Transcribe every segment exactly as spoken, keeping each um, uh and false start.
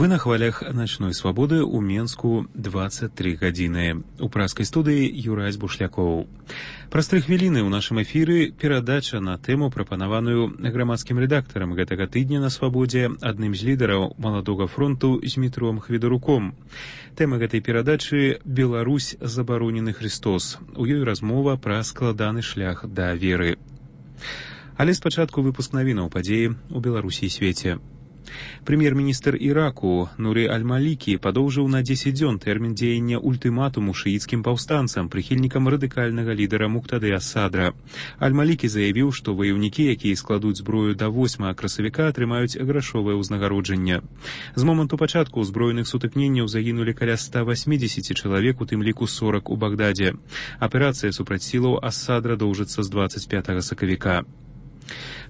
Вы на хвалях «Ночной свободы» у Менску двадцать три гадзіны. У праскай студыі Юрась Бушлякоў. Праз тры хвіліны ў нашым эфіры перадача на тэму, прапанаваную грамадскім рэдактарам гэтага тыдня на свабодзе, адным з лідараў маладога фронту Змітром Хведаруком. Тэма гэтай перадачы «Беларусь забаронены Христос». У ёй размова пра складаны шлях да веры. Але спачатку выпуск навінаў падзеі ў Беларусі і свеце. Прэм'ер-міністр Іраку Нуры Аль-Малікі падоўжыў на дзесяць дзён тэрмін дзеяння ультыматуму шыіцкім паўстанцам, прыхільнікам радыкальнага лідара Муктады Асадра. Аль-Малікі заявіў, што ваяўнікі, якія складуць зброю да восьмага красавіка, атрымаюць грашовае ўзнагароджанне. З моманту пачатку ўзброеных сутыкненняў загінулі каля ста васьмідзесяці чалавек, у тым ліку сорак у Багдадзе. Аперацыя супраць сілаў Асадра доўжыцца з дваццаць пятага сакавіка.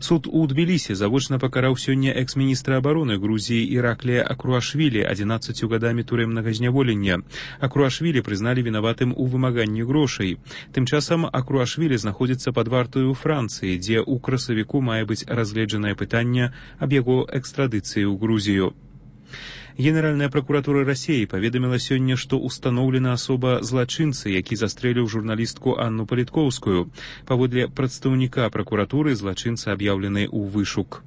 Суд у Тбілісі завочна пакараў сёння экс-міністра абароны Грузіі Іраклія Акруашвілі адзінаццаццю гадамі турэмнага зняволення. Акруашвілі прызналі вінаватым у вымаганні грошай. Тым часам Акруашвілі знаходзіцца пад вартаю ў Францыі, дзе ў красавіку мае быць разгледжанае пытанне аб яго экстрадыцыі ў Грузію. Генеральная пракуратура Расіі паведаміла сёння, што ўстаноўлена асоба злачынцы, які застрэліў журналістку Анну Паліткоўскую. Паводле прадстаўніка пракуратуры злачынца аб'яўлены ў вышук.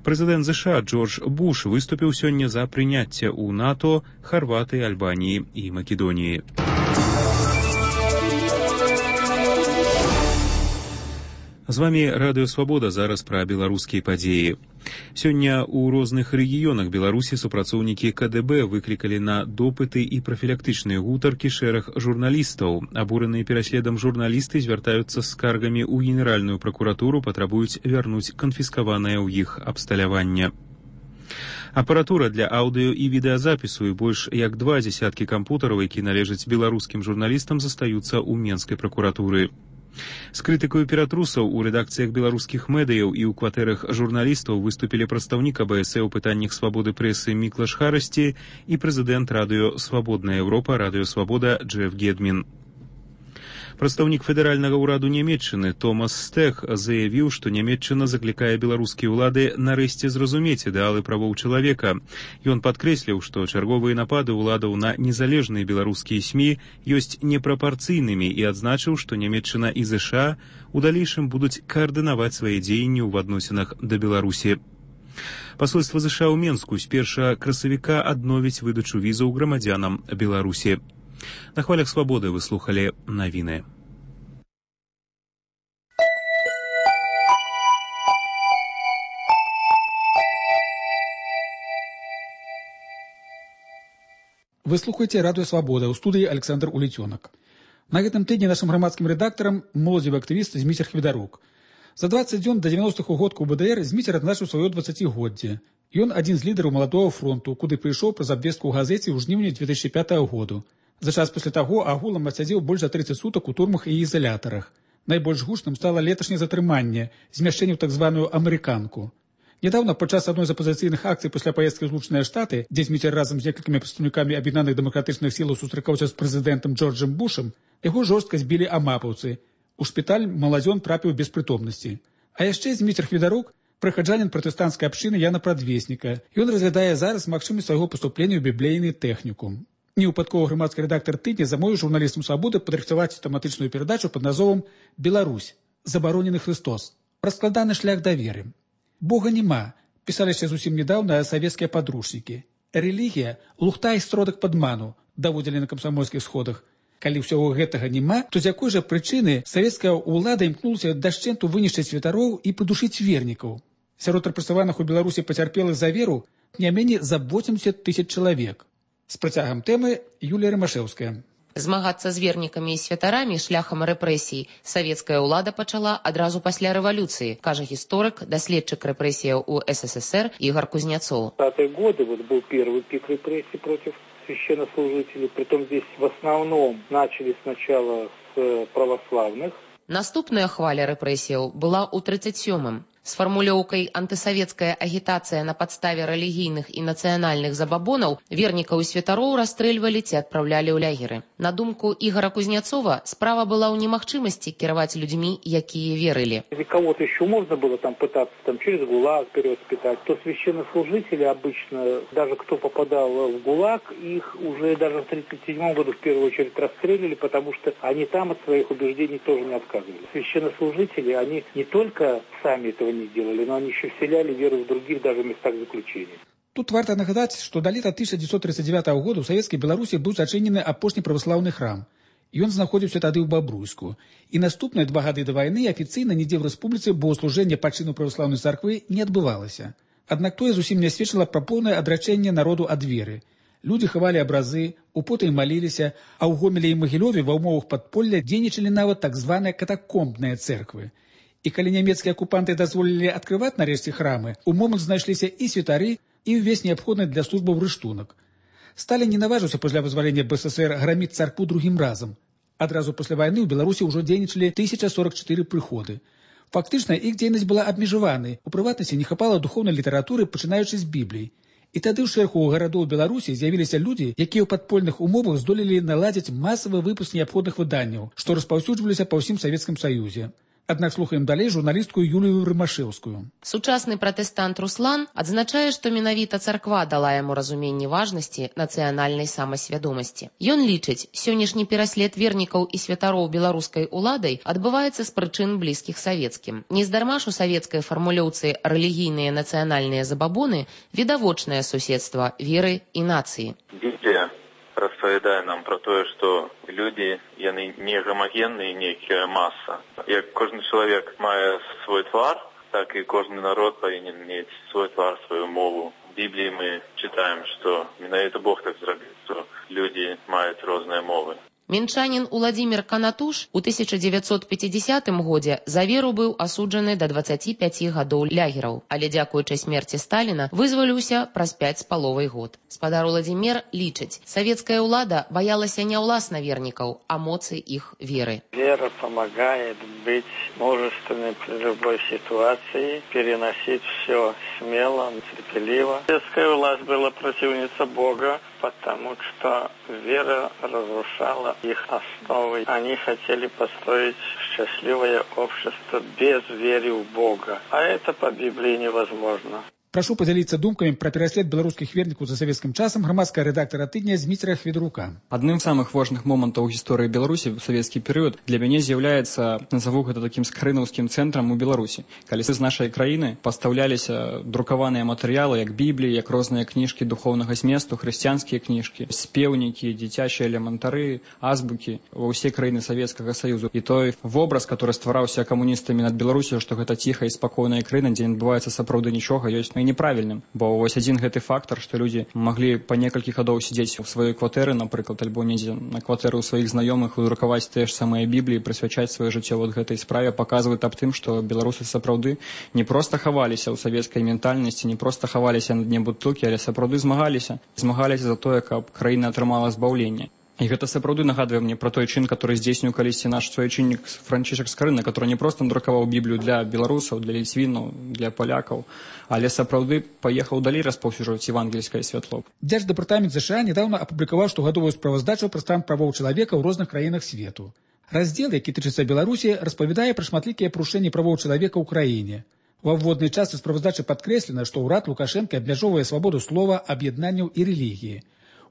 Прэзідэнт ЗША Джордж Буш выступіў сёння за прыняцце ў НАТО Харватыі, Альбаніі і Македоніі. З вамі Радыё Свабода, зараз пра беларускія падзеі. Сёння ў розных рэгіёнах Беларусі супрацоўнікі КДБ выклікалі на допыты і прафілактычныя гутаркі шэраг журналістаў. Абураныя пераследам журналісты звяртаюцца з скаргамі ў Генеральную пракуратуру, патрабуюць вярнуць канфіскаванае ў іх абсталяванне. Апаратура для аўдыё і відэазапісу і больш як два дзесяткі кампутараў, які належаць беларускім журналістам, застаюцца ў Менскай пракуратуры. З крытыкаю ператрусаў у рэдакцыях беларускіх медыяў і ў кватэрах журналістаў выступілі прадстаўнік АБС ў пытаннях свабоды прэсы Міклаш Харасці і прэзідэнт радыё «Свабодная Еўропа» Радыё Свабода Джеф Гедмін. Прадстаўнік федэральнага ўраду Нямецчыны Томас Стэк заявіў, што Нямецчына заклікае беларускія ўлады нарэшце зразумець ідэалы правоў чалавека. Ён падкрэсліў, што чарговыя напады ўладаў на незалежныя беларускія СМІ ёсць непрапарцыйнымі і адзначыў, што Нямецчына і ЗША у далейшым будуць каардынаваць свае дзеянні ў адносінах да Беларусі. Пасольства ЗША ў Менску з першага красавіка адновіць выдачу візаў грамадзянам Беларусі. На хвалях свабоды вы слухалі навіны. Вы слухаеце Радыё Свабода, у студыі Александр Улецёнак. На гэтым тыдні нашым грамадскім рэдактарам моладзевы актывіст Зміцер Хведарук. За дваццаць дзён да дзевяностых угодку БДР Зміцер адзначыў сваё дваццацігоддзе. Ён адзін з лідараў маладога фронту, куды прыйшоў праз абвестку ў газеце ў жніўні две тысячы пятага году. За час пасля таго агулам адсядзеў больш за трыццаць сутак у турмах і ізалятарах. Найбольш гучным стала леташняе затрыманне, змяшчэнне ў так званую амерыканку. Нядаўна падчас адной з апазіцыйных акцый пасля паездкі ў Злучаныя Штаты, дзе Зміцер разам з некалькімі прадстаўнікамі аб'яднаных дэмакратычных сілаў сустракаўся з прэзідэнтам Джорджам Бушам, яго жорстка збілі амапаўцы. У шпіталь маладзён трапіў без прытомнасці. А яшчэ Зміцер Хведарук прыхаджанін пратэстанцкай абшчыны Яна Прадвесніка. Ён разглядае зараз магчымасць свайго паступлення ў біблейны тэхнікум. Невыпадковы грамадскі рэдактар тыдня замовіў журналістам свабоды падрыхтаваць тэматычную перадачу пад назвом «Беларусь. Забаронены Христос. Пра складаны шлях да веры». Бога няма, пісалі яшчэ зусім нядаўна савецкія падручнікі. Рэлігія – лухта і сродак падману, даводзілі на камсамольскіх сходах. Калі ўсяго гэтага няма, то з якой жа прычыны савецкая ўлада імкнулася дашчэнту вынішчыць святароў і падушыць вернікаў? Сярод рэпрэсаваных у Беларусі пацярпелых за веру не меней за восемьдесят тысяч чалавек. З працягам тэмы Юлія Рымашэўская. Змагацца з вернікамі і святарамі шляхам рэпрэсій савецкая ўлада пачала адразу пасля рэвалюцыі, кажа гісторык, даследчык рэпрэсіяў у СССР Игорь Кузнецов. В двадцатые годы вот был первый пик репрессий против священнослужителей, притом здесь в основном начали сначала с православных. Наступная хваля рэпрэсіяў была ў тридцать сёмым. С фармулёўкай «антысавецкая агітацыя на падставе рэлігійных і нацыянальных забабонаў» вернікаў і святароў расстрэльвалі ці адпраўлялі ў лягеры. На думку Ігора Кузнецова, справа была ў немагчымасці кіраваць людзьмі, якія верылі. Если кого-то еще можно было там пытаться там, через ГУЛАГ перевоспитать, то священнослужители обычно, даже кто попадал в ГУЛАГ, их уже даже в тридцать седьмом году в первую очередь расстреливали, потому что они там от своих убеждений тоже не отказывались. Священнослужители, они не только сами этого не делали, но они еще вселяли веру в других даже местах заключения. Тут варта нагадаць, што да лета тысяча дзевяцьсот тридцать девятого года ў савецкай Беларусі быў зачынены апошні праваслаўны храм. Ён знаходзіўся тады ў Бабруйску. І наступныя два гады да вайны афіцыйна нідзе ў рэспубліцы богослужэння па чыну праваслаўнай царквы не адбывалася. Аднак тое зусім не сведчыла пра поўнае адрачэнне народу ад веры. Людзі хавалі абразы, употай маліліся, а ў Гомелі і Магілёве ва ўмовах падполля дзейнічалі нават так званыя катакомбныя цэрквы. І калі нямецкія акупанты дазволілі адкрываць нарэшце храмы, у момант знайшліся і святары, і ўвесь неабходны для службаў рыштунак. Сталін не наважыўся пасля вызвалення БССР граміць царкву другім разам. Адразу пасля вайны ў Беларусі ўжо дзейнічалі тысяча сорок чатыры прыходы. Фактычна, іх дзейнасць была абмежаванай, у прыватнасці не хапала духоўнай літаратуры, пачынаючы з Бібліі. І тады ў шэрагу гарадоў Беларусі з'явіліся людзі, якія ў падпольных умовах здолелі наладзіць масавы выпуск неабходных выданняў, што распаўсюджваліся па ўсім Савецкім Саюзе. Аднак слухаем далей журналістку Юлію Рымашэўскую. Сучасны пратэстант Руслан адзначае, што менавіта царква дала яму разуменне важнасці нацыянальнай самасвядомасці. Ён лічыць, сённяшні пераслед вернікаў і святароў беларускай уладай адбываецца з прычын блізкіх савецкім. Нездарма ж у савецкай фармулёўцы рэлігійныя нацыянальныя забабоны відавочнае суседства веры і нацыі. Біблія распавядае нам пра тое, што людзі, яны не гамагенныя, нейкая маса. Як кожны чалавек мае свой твар, так і кожны народ павінен мець свой твар, сваю мову. В Бібліі мы чытаем, што менавіта Бог так зрабіў, што людзі маюць розныя мовы. Мінчанін Уладзімір Канатуш у тысяча дзевяцьсот пяцідзясятым годзе за веру быў асуджаны да дваццаці пяці гадоў лягераў, але дзякуючы смерці Сталіна вызваліўся праз пяць з паловай год. Спадар Уладзімір лічыць, савецкая ўлада боялася не ўласна вернікаў, а моцы іх веры. Вера помогает быть мужественной при любой ситуации, переносить все смело, терпеливо. Советская власть была противница Бога, потому что вера разрушала их основы. Они хотели построить счастливое общество без веры в Бога. А это по Библии невозможно. Прашу падзяліцца думкамі пра пераслед беларускіх вернікаў за савецкім часам грамадская рэдактара тыдня Зміцера Хведрука. Адным з самых важных момантаў у гісторыі Беларусі ў савецкі перыяд для мяне з'яўляецца, назову гэта такім скрынаўскім цэнтрам у Беларусі. Калі з нашай краіны пастаўляліся друкаваныя матэрыялы, як Бібліі, як розныя кніжкі духоўнага зместу, хрысціянскія кніжкі, спеўнікі, дзіцячыя элементары, азбукі ва ўсе краіны Савецкага Саюзу. І той вобраз, который ствараўся камуністамі над Беларусю, што гэта ціхая і спакойная краіна, дзе не адбываецца сапраўды нічога, ёсць і неправільным, бо вось адзін гэты фактар, што людзі маглі па некалькі гадоў сядзець у сваёй кватэры, напрыклад, альбо недзе на кватэры ў сваіх знаёмых і друкаваць тыя ж самыя Бібліі, прысвячаць сваё жыццё вот гэтай справе, паказвае аб тым, што беларусы сапраўды не проста хаваліся ў савецкай ментальнасці, не проста хаваліся на дне бутылкі, але сапраўды змагаліся, змагаліся за тое, каб краіна атрымала збаўленне. І гэта сапраўды нагадвае мне пра той чын, который здзейсніў калісьці наш суайчыннік Францішак Скарына, который не проста друкаваў Біблію для беларусаў, для ліцвінаў, для палякаў, але сапраўды паехаў далей распаўсюджваць евангельскае святло. Дзярждэпартамент ЗША недавно апублікаваў штогадовую справаздачу пра стан правоў чалавека ў розных краінах свету. Раздзел, які тычыцца Беларусі, распавядае пра шматлікія парушэнні правоў чалавека ў краіне. Ва ўводнай частцы справаздачы падкрэслена, што ўрад Лукашэнка абмяжоўвае свабоду слова, аб'яднанняў і рэлігіі.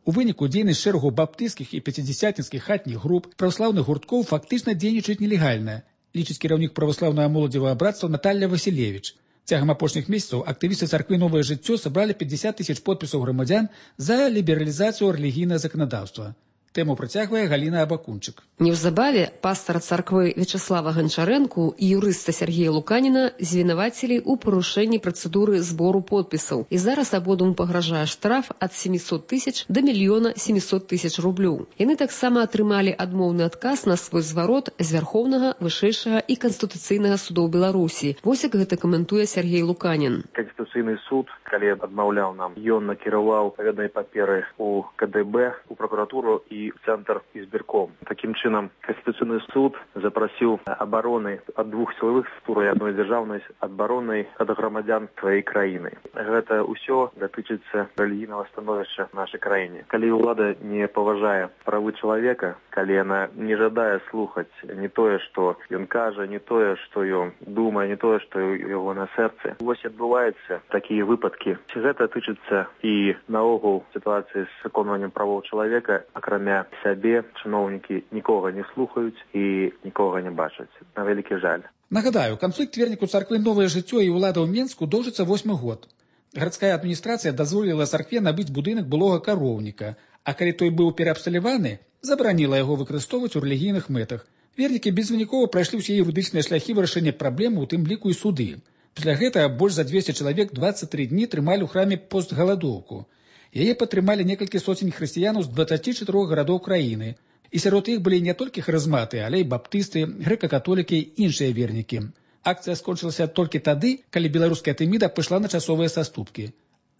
У выніку дзейнасць шэрагу баптысцкіх і пяцідзясятніцкіх хатніх груп праваслаўных гурткоў фактычна дзейнічаюць нелегальна, лічыць кіраўнік праваслаўнага моладзевага братства Наталья Васілевіч. Цягам апошніх месяцаў актывісты царквы «Новае жыццё» сабралі пятьдесят тысяч подпісаў грамадзян за лібералізацыю рэлігійнага заканадаўства. Тэму працягвае Галіна Абакунчык. Неўзабаве пастара царквы Вячаслава Ганчарэнку і юрыста Сергея Луканіна звінавацілі ў парушэнні працэдуры збору подпісаў. І зараз абодвум пагражае штраф ад семисот тысяч да мільёна семисот тысяч рублёў. Яны таксама атрымалі адмоўны адказ на свой зварот з Вярхоўнага, Вышэйшага і Канстытуцыйнага судоў Беларусі. Вось як гэта каментуе Сергей Луканін. Конституционный Конституцыйны суд, калі адмаўляў нам, ён накіраваў паведнай паперы у ка дэ бэ, у прокуратуру і в цэнтр избирком. Таким чынам, Конституцыйны суд запрасіў абароны ад двух сілавых структур і адной дзяржаўнай абароны ад грамадзян тваёй краіны. Гэта ўсё датычыцца рэлігійнага становішча в нашай краіне. Калі ўлада не паважае правы чалавека, калі яна не жадае слухаць не тое, што ён кажа, не тое, што ён думае, не тое, што яго на сэрцы. Вось адбываюцца такія выпадкі. Гэта тычыцца і наогул сітуацыі з выконваннем правоў чалавека, акрамя сябе, чыноўнікі нікога не слухаюць і нікога не бачаць. На вялікі жаль. Нагадаю, канфлікт верніку царквы «Новае жыццё» і ўлада ў Менску доўжыцца восьмы год. Гарадская адміністрацыя дазволіла царкве набыць будынак былога кароўніка, а калі той быў пераабсталяваны, забараніла яго выкарыстоўваць у рэлігійных мэтах. Вернікі безвынікова прайшлі ўсе юрыдычныя шляхі вырашэння праблемы, у тым ліку і суды. Пасля гэтага больш за дзвесце чалавек дваццаць тры дні трымалі ў храме постгаладоўку. Яе падтрымалі некалькі соцень хрысціянаў з дваццаці чатырох гарадоў краіны. І сярод іх былі не толькі харызматы, але і баптысты, грэка-католікі і іншыя вернікі. Акцыя скончылася толькі тады, калі беларуская Тэміда пайшла на часовыя саступкі.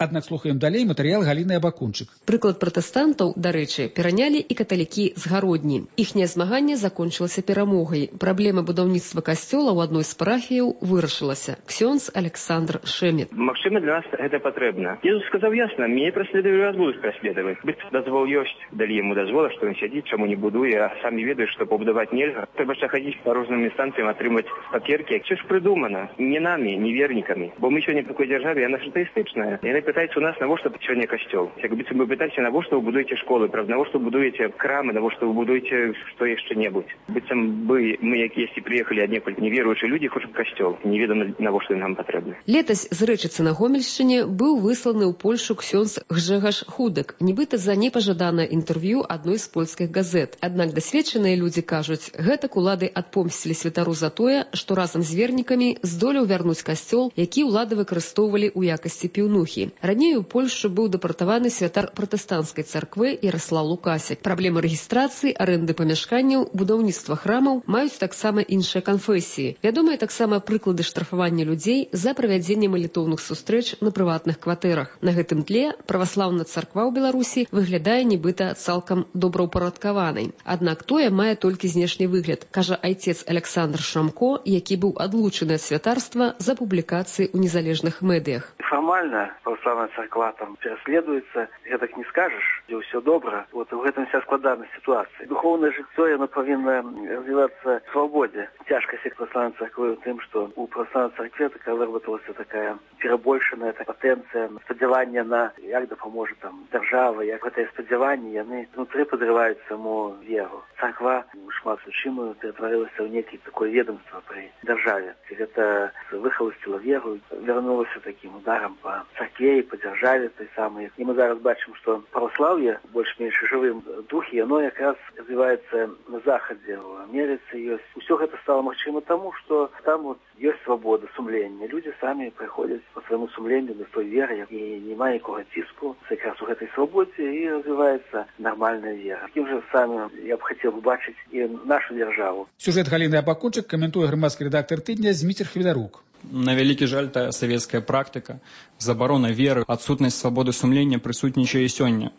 Аднак слухаем далей матэрыял Галіны Абакунчык. Прыклад пратэстантаў, дарэчы, перанялі і каталікі з Гародні. Іхняе змаганне закончылася перамогай. Праблема будаўніцтва касцёла ў адной з парафіяў вырашылася. Ксёндз Александр Шэмет. Магчыма, для нас гэта патрэбна. Езус сказаў ясна, мяне праследуюць, вас будуць праследаваць. Быць дазвол ёсць, далі яму дазвола, што ён сядзіць, чаму не будуе, а самі ведаюць, што пабудаваць нельга. Трэба ж хадзіць па розным інстанцыям, атрымаць паперкі. Все ж прыдумана не намі, не вернікамі. Бо мы сёння в такой дзяржаве, яна ж атэістычная. Яны пытаюцца у нас, навошта сёння касцёл. Як быццам вы пытаеце, навошта вы будуеце школы, правда, навошта вы будуеце крамы, навошта вы будуеце што яшчэ-небудзь. Быццам бы мы, якіясьці прыехалі аднекуль неверуючыя людзі, хочуць касцёл. Неведама, навошта нам патрэбна. Летась з Рэчыцы на Гомельшчыне быў высланы ў Польшу Ксёндз Гжэгаш Худак, нібыта за непажаданае інтэрв'ю адной з польскіх газет. Аднак дасведчаныя людзі кажуць, гэтак улады адпомсцілі святару за тое, што разам з вернікамі здолеў вярнуць касцёл, які ўлады выкарыстоўвалі ў якасці піўнухі. Раней у Польшу быў дэпартаваны святар пратэстанцкай царквы Яраслаў Лукасік. Праблемы рэгістрацыі, арэнды памяшканняў, будаўніцтва храмаў маюць таксама іншыя канфэсіі. Вядомыя таксама прыклады штрафавання людзей за правядзенне малітоўных сустрэч на прыватных кватэрах. На гэтым тле праваслаўная царква ў Беларусі выглядае нібыта цалкам добраўпарадкаванай. Аднак тое мае толькі знешні выгляд, кажа айцец Александр Шамко, які быў адлучаны ад святарства за публікацыі ў незалежных медыях. Фармальна праваслаўная царква там пераследуецца, гэтак не скажаш, дзе ўсё добра. Вот у гэтым вся складанасць сітуацыі. Духоўнае жыццё яно павінна развівацца в свабодзе. Цяжкасць праваслаўнай царквы ў тым, што у праваслаўнай царкве такая выработалася такая перабольшаная патэнцыя, спадзяванне на як дапаможа там дзяржава, як гэтыя спадзяванні яны внутры падрываюць саму веру. Царква шмат у чым ператварылася ў нейкі такое ведомства пры дзяржаве. Гэта выхаласціла веру, вярнулася такім ударам па царкве і па дзяржаве той самай. І мы зараз бачым, што праваслаўе больш-менш жывым духе, яно якраз развіваецца на захадзе, у Амерыцы ёсць. Усё гэта стала магчыма таму, што там вот ёсць свабода сумлення. Людзі самі прыходзяць па свайму сумленню да той веры і няма нікога ціску. Якраз у гэтай свабодзе і развіваецца нармальная вера. Такім жа самым я б хацеў убачыць і нашу дзяржаву. Сюжэт Галіны Абакунчык каментуе грамадскі рэдактар тыдня Зміцер Хвідарук. На вялікі жаль, тая савецкая практыка, забарона веры, адсутнасць свабоды сумлення прысутнічае і сёння.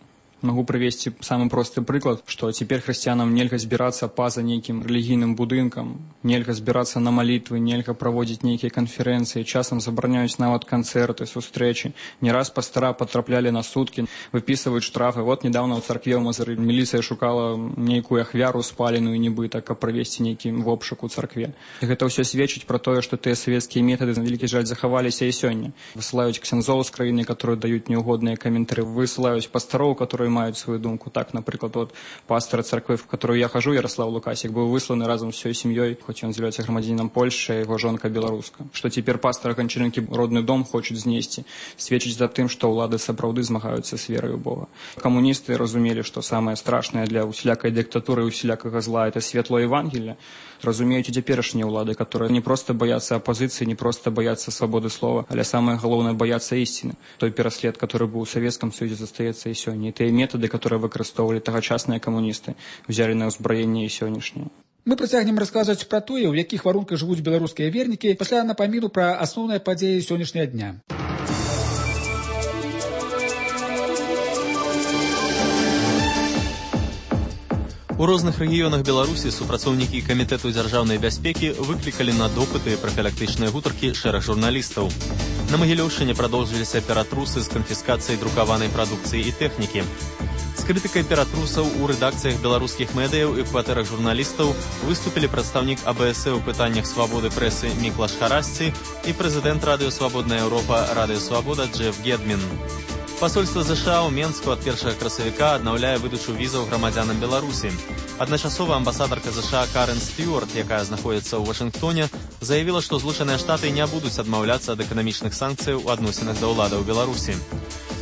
Могу привести самый простый прыклад, что теперь христианам нельга збирацца па-за нейкім рэлігійным будынкам, нельга збирацца на малітвы, нельга праводзіць нейкія канферэнцыі, часам забараняюць нават канцэрты, сустрэчы. Не раз пастара патраплялі на суткі, выпісваюць штрафы. Вот недавно ў царкве ў Мазыры міліцыя шукала нейкую ахвяру спаленую нібыта, каб правесці нейкі вобшук у царкве. І гэта ўсё сведчыць пра тое, што тыя савецкія метады, на вялікі жаль, захаваліся і сёння. Высылаюць ксяндзоў з краіны, которые даюць неугодныя каментары, высылаюць пастароў, которые маюць свою думку. Так, напрыклад, вот пастора царквы, в которую я хожу, Ярослав Лукасик, был высланы разом с всей семьей, хоть он является громадянином Польши, а его жонка белоруска. Что теперь пастор Гончаренки родный дом хочет знести, сведчить за тым, что улады сапраўды змагаюцца с верой у Бога. Коммунисты разумели, что самое страшное для усялякой диктатуры и усялякого зла это светло Евангелия. Разумеюць і цяперашнія ўлады, которые не просто боятся оппозиции, не просто боятся свободы слова, але самое главное боятся истины. Той пераслед, который был в Советском Союзе, застаецца і сёння. І тыя методы, которые выкарыстоўвалі тагачасныя камуністы, узялі на ўзбраенне і сённяшняе. Мы працягнем расказваць пра тое, у якіх варунках жывуць беларускія вернікі, пасля напаміну пра асноўныя падзеі сённяшняга дня. У розных рэгіёнах Беларусі супрацоўнікі камітэту дзяржаўнай бяспекі выклікалі на допыты прафілактычныя гутаркі шэраг журналістаў. На Магілёўшчыне прадоўжыліся ператрусы з канфіскацыяй друкаванай прадукцыі і тэхнікі. З крытыкай ператрусаў у рэдакцыях беларускіх медыяў і кватэрах журналістаў выступілі прадстаўнік А Бэ Эс Э ў пытаннях свабоды прэсы Міклаш Харасці і прэзідэнт Радыё Свабодная Еўропа Радыё Свабода Джеф Гедмін. Пасольства ЗША ў Менску ад першага красавіка аднаўляе выдачу візаў грамадзянам Беларусі. Адначасова амбасадарка ЗША Карен Стюарт, якая знаходзіцца ў Вашынгтоне, заявіла, што Злучаныя Штаты не будуць адмаўляцца ад эканамічных санкцыяў у адносінах да ўладаў Беларусі.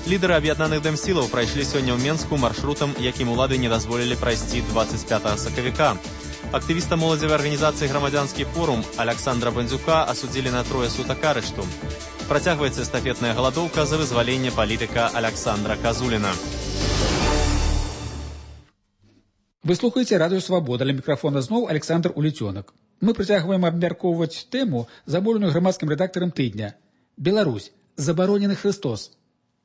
Лідары аб'яднаных дэмсілаў прайшлі сёння ў Менску маршрутам, якім улады не дазволілі прайсці дваццаць пятага сакавіка. Актывіста моладзевай арганізацыі «Грамадзянскі форум» Аляксандра Бандзюка асудзілі на трое сутак арышту. Працягваецца эстафетная галадоўка за вызваленне палітыка Аляксандра Казуліна. Вы слухаеце радыё «Свабода», ля мікрафона зноў Александр Уліцёнак. Мы працягваем абмяркоўваць тэму, заболеную грамадскім рэдактарам тыдня. Беларусь. Забаронены Христос.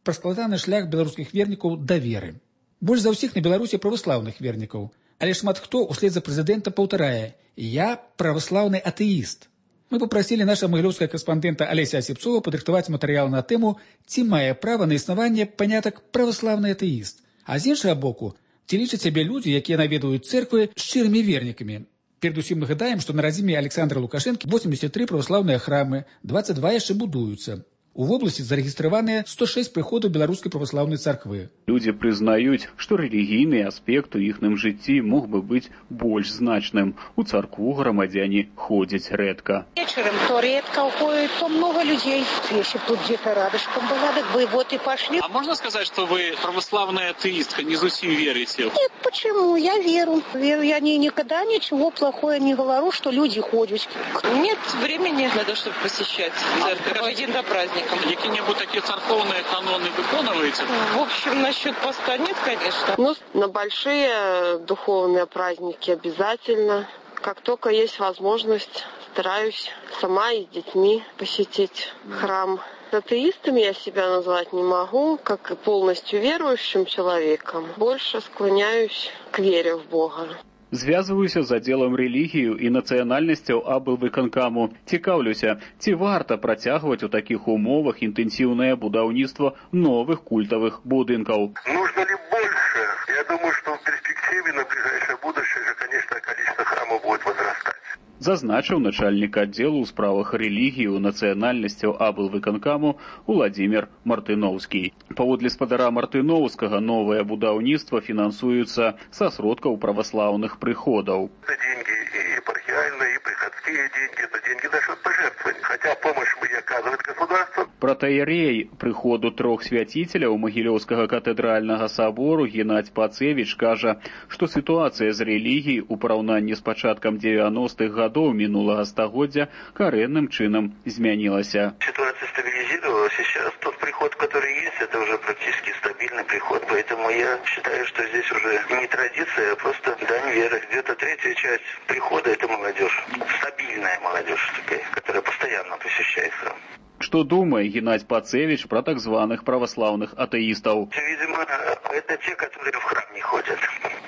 Пра складаны шлях беларускіх вернікаў да веры. Больш за ўсіх на Беларусі праваслаўных вернікаў. Але шмат хто услед за прэзідэнта паўтарае: «Я праваслаўны атэіст». Мы папрасілі наша магілёўская карэспандэнта Алеся Асіпцова падрыхтаваць матэрыял на тэму, ці мае права на існаванне панятак праваслаўны атэіст. А з іншага боку, ці лічаць сябе людзі, якія наведваюць цэрквы, шчырымі вернікамі. Перадусім нагадаем, што на радзіме Александра Лукашэнкі восемьдесят три праваслаўныя храмы, двадцать два яшчэ будуюцца. У вобласці зарэгістраваныя сто шесть прыходаў беларускай праваслаўнай царквы. Людзі прызнаюць, што рэлігійны аспект у іхным жыцці мог бы быць больш значным. У царкву грамадзяне ходзяць рэдка. Вечером то редко уходит, то много людей. Если тут где-то рядышком была, так бы вот и пошли. А можно сказать, что вы православная атеистка, не зусим верите? Нет, почему? Я веру. Веру я не, никогда ничего плохого не говорю, что люди ходят. Нет времени на то, чтобы посещать церковь. Один до праздника. Какие-нибудь такие церковные каноны выконываете? В общем, насчет поста нет, конечно. Ну, на большие духовные праздники обязательно. Как только есть возможность, стараюсь сама и с детьми посетить храм. Атеистом я себя назвать не могу, как и полностью верующим человеком. Больше склоняюсь к вере в Бога. Звязваюся з аддзелам рэлігію і нацыянальнасцяў аблвыканкаму. Цікаўлюся, ці варта працягваць у такіх умовах інтэнсіўнае будаўніцтва новых культавых будынкаў. Нужно ли больше? Я думаю, что в перспективе на ближайшее будущее же, конечно, количество храмов будет возрастать. Зазначыў начальнік аддзелу ў справах рэлігію нацыянальнасцяў аблвыканкаму Уладзімір Мартыноўскі. Паводле спадара Мартыноўскага, новае будаўніцтва фінансуецца са сродкаў праваслаўных прыходаў. Это деньги и епархиальные, и приходские деньги, это деньги наших пожертвований. Хотя помощь мы не оказывает государство. Протаерей прыходу трох свяціцеляў Магілёўскага катэдральнага сабору Геннадзь Пацевіч кажа, што сітуацыя з рэлігіяй у параўнанні з пачаткам девяностых годов минулого стагоддзя коренным чином изменилась. Ситуация стабилизировалась, и сейчас тот приход, который есть, это уже практически стабильный приход, поэтому я считаю, что здесь уже не традиция, а просто дань веры. Где-то третья часть прихода — это молодежь, стабильная молодежь такая, которая постоянно посещает храм. Что думает Геннадзь Пацевич про так званых православных атеистов? Видимо, это те, которые в храм не ходят.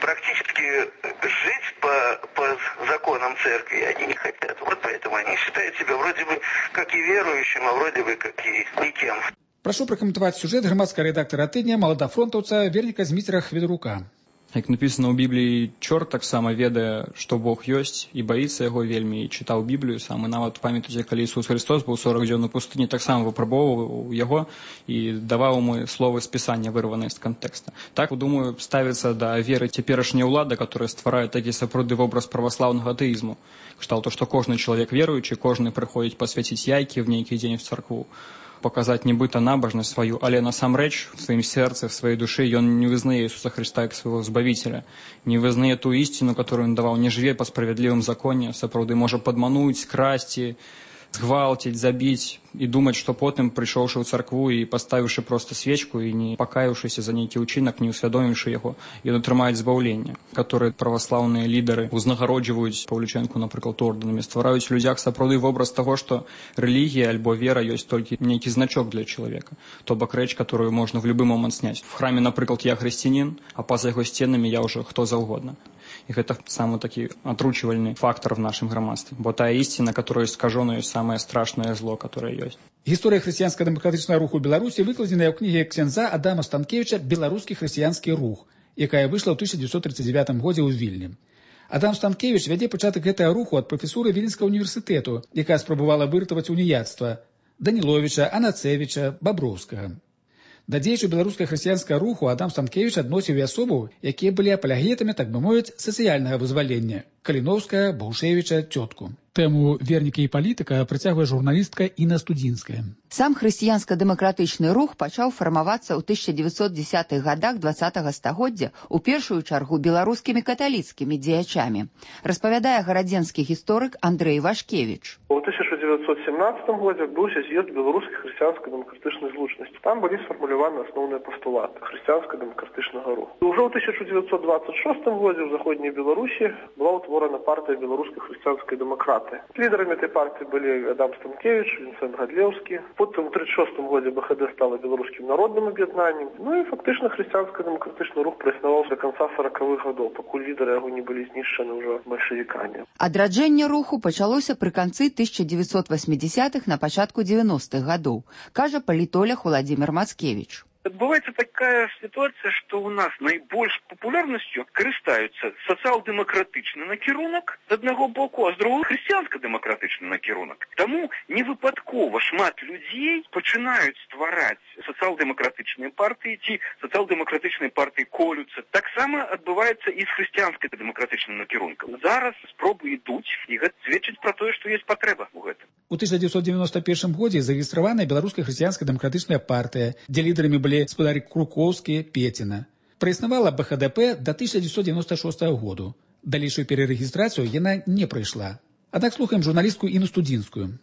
Практически жить по, по законам церкви они не хотят. Вот поэтому они считают себя вроде бы как и верующим, а вроде бы как и никем. Прошу прокомментовать сюжет громадского редактора тыдня, маладафронтаўца Верніка Зміцера Хведрука. Як написано ў Бібліі, чорт таксама ведае, што Бог ёсць, і баіцца яго вельмі, і чытаў Біблію сам, і нават памятаеце, калі Ісус Христос быў сорок дзён у пустыні, таксама выпрабоўваў яго і даваў яму словы з Пісання, вырваныя з кантэкста. Так, думаю, ставіцца да веры цяперашняя ўлада, которая стварае такі сапраўдны вобраз праваслаўнага атэізму. Кшталту, што кожны чалавек веруючы, кожны прыходзіць пасвяціць яйкі в нейкі дзень в царкву, показать нібыта набожность свою, але насамрэч в своим сердце, в своей душе ён не вызнае Иисуса Христа как своего Збавителя, не вызнае ту истину, которую он давал, не живе по справедливым законе, сапраўды можа падмануць, скрасці, згвалціць, забіць і думаць, што потым, прыйшоўшы ў царкву і паставіўшы проста свечку і не пакаіўшыся за нейкі ўчынак, не ўсвядоміўшы яго, ён атрымаюць збаўленне, которое праваслаўныя лідары узнагароджваюць Паўлічэнку, напрыклад, ордэнамі, ствараюць у людзях сапраўды вобраз таго, што рэлігія альбо вера ёсць толькі нейкі значок для чалавека, то бок рэч, которую можна в любы момант сняць. В храме, напрыклад, я хрысціянін, а па-за яго сценамі я ўжо хто заўгодна. і гэта самы такі атручвальны фактор в нашым грамадстве, бо тая ісціна, которая скажона, ёсць самае страшнае зло, которое ёсць. Гісторыя хрысціянска-дэмакратычнага руху Беларусі выкладзеная ў кнізе ксяндза Адама Станкевіча «Беларускі хрысціянскі рух», якая выйшла ў тысяча дзевяцьсот тридцать девятым годзе ў Вільні. Адам Станкевіч вядзе пачатак гэтага руху ад прафесуры Віленскага універсітэту, якая спрабавала выратаваць уніяцтва Даніловіча, Анацевіча, Баброўскага. Да дзеячаў беларускага хрысціянскага руху Адам Станкевіч адносіў і асобаў, якія былі апалягетамі, так бы мовіць, сацыяльнага вызвалення – Каліноўская, Баўшевіча, Цётку. Тэму «Вернікі і палітыка» працягвае журналістка Інна Студзінская. Сам хрысціянска-дэмакратычны рух пачаў фармавацца ў тысяча дзевяцьсот дзесятых гадах дваццатага стагоддзя у першую чаргу беларускімі каталіцкімі дзеячамі, распавядае гарадзенскі гісторык Андрэй Вашкевіч. У тысяча дзевяцьсот семнадцатым годзе адбыўся з'езд беларускай хрысціянска-дэмакратычнай злучнасці. Там былі сфармуляваны асноўныя пастулаты хрысціянска-дэмакратычнага руху. Уже ў тысяча дзевяцьсот дваццаць шостым годзе ў заходняй Беларусі была ўтворана партыя беларускай хрысціянскай дэмакраты. Лідарамі этой партыі былі Адам Станкевіч, Вінсент Гадлеўскі. Потым у тридцать шостым годзе БХД стала беларускім народным аб'яднаннем. Ну і фактычна хрысціянска-дэмакратычны рух праіснаваў да канца сорокавых гадоў, пакуль лідары яго не былі знішчаны ўжо бальшавікамі. Адраджэнне руху пачалося пры канцы тысяча дзевяцьсот восьмидесятых на пачатку девяностых гадоў, кажа палітолог Владимир Мацкевич. Адбываецца такая сітуацыя, што ў нас найбольш папулярнасцю карыстаюцца сацыял-дэмакратычны накірунак з аднаго боку, а з другога хрысціянска-дэмакратычны накірунак. Таму невыпадкова шмат людзей пачынаюць ствараць сацыял-дэмакратычныя партыі ці сацыял-дэмакратычныя партыі колюцца. Таксама адбываецца і з хрысціянска-дэмакратычным накірункам. Зараз спробы ідуць, і гэта сведчыць пра тое, што ёсць патрэба ў гэтым. У тысяча дзевяцьсот девяносто первым годзе зарэгістраваная беларуская хрысціянска-дэмакратычная партыя, дзе лідарамі былі спадарі Круковскі, Пеціна. Праіснавала БХДП да тысяча дзевяцьсот девяносто шостого году. Далейшую перарэгістрацыю яна не прайшла. Аднак слухаем журналістку Інну Студзінскую.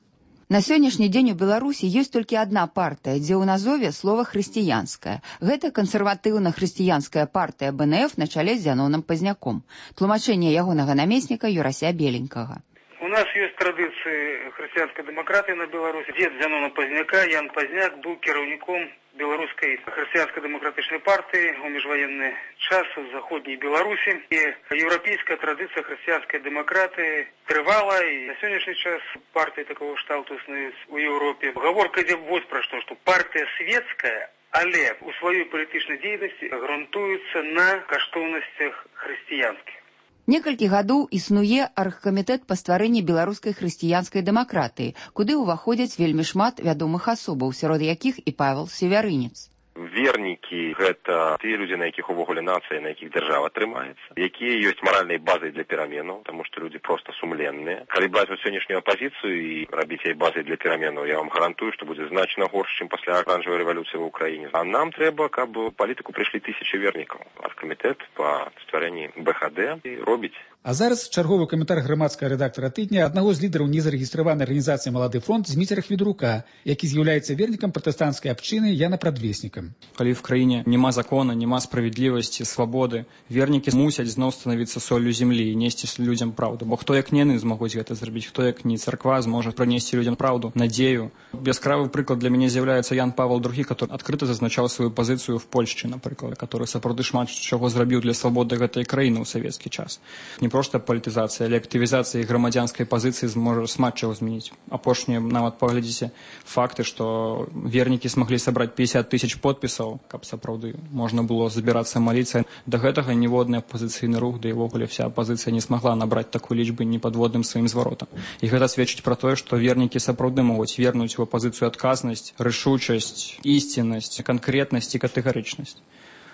На сённяшні дзень у Беларусі ёсць толькі адна партыя, дзе ў назове слова «хрысціянская». Гэта кансерватыўна-хрысціянская партыя БНФ на чале з Зяноном Пазняком. Тлумачэнне ягонага намесніка Юрася Беленькага. У нас ёсць традыцыі хрысціянскай дэмакратыі на Беларусі. Дзед Зянона Пазняка, Ян Пазняк, быў кіраўніком беларускай хрысціянска-дэмакратычнай партыі ў міжваенны час у заходняй Беларусі. І еўрапейская традыцыя хрысціянскай дэмакратыі трывала, і на сённяшні час партыі такого шталту існуюць у Еўропе. Гаворка ідзе вось пра што, што партыя светская, але у сваёй палітычнай дзейнасці грунтуецца на каштоўнасцях хрысціянскіх. Некалькі гадоў існуе аргкамітэт па стварэнні беларускай хрысціянскай дэмакратыі, куды ўваходзяць вельмі шмат вядомых асобаў, сярод якіх і Павел Севярынец. Вернікі – гэта тыя людзі, на якіх увогуле нацыя, на якіх дзяржава трымаецца, якія ёсць маральнай базай для пераменаў, таму што людзі проста сумленныя. Калі браць у сённяшнюю апазіцыю і рабіць яе базай для пераменаў, я вам гарантую, што будзе значна горш, чым пасля аранжавай рэвалюцыі ў Украіне. А нам трэба, каб у палітыку прыйшлі тысячы вернікаў. Аргкамітэт па стварэнні БХД робіць. А зараз чарговы каментар грамадскага рэдактара тыдня аднаго з лідараў незарэгістраванай арганізацыі «Малады фронт» Зміцера Хведрука, які з'яўляецца вернікам пратэстанцкай абшчыны Яна Прадвеснікам. Калі в краіне няма закона, няма справядлівасці, свабоды, вернікі мусяць зноў станавіцца соллю зямлі і несці людзям праўду. Бо хто як не яны змогуць гэта зрабіць, хто як не царква зможа прынесці людзям праўду, надзею. Яскравы прыклад для мяне з'яўляецца Ян Павел другі, который адкрыта зазначаў сваю пазіцыю в Польшчы, напрыклад, который сапраўды шмат чаго зрабіў для свабоды гэтай краіны ў савецкі час. Не проста палітызацыя, але актывізацыя грамадзянскай пазіцыі зможа шмат чаго змяніць. Апошнія нават паглядзіце факты, што вернікі смаглі сабраць пятьдесят тысяч подпісаў, каб сапраўды можна было забірацца маліцца. Да гэтага ніводны апазіцыйны рух, да і ўвогуле вся апазіцыя не смагла набраць такой лічбы непадводным сваім зваротам. І гэта сведчыць пра тое, што вернікі сапраўды могуць вернуць у апазіцыю адказнасць, рашучасць, ісціннасць, канкрэтнасць і катэгарычнасць.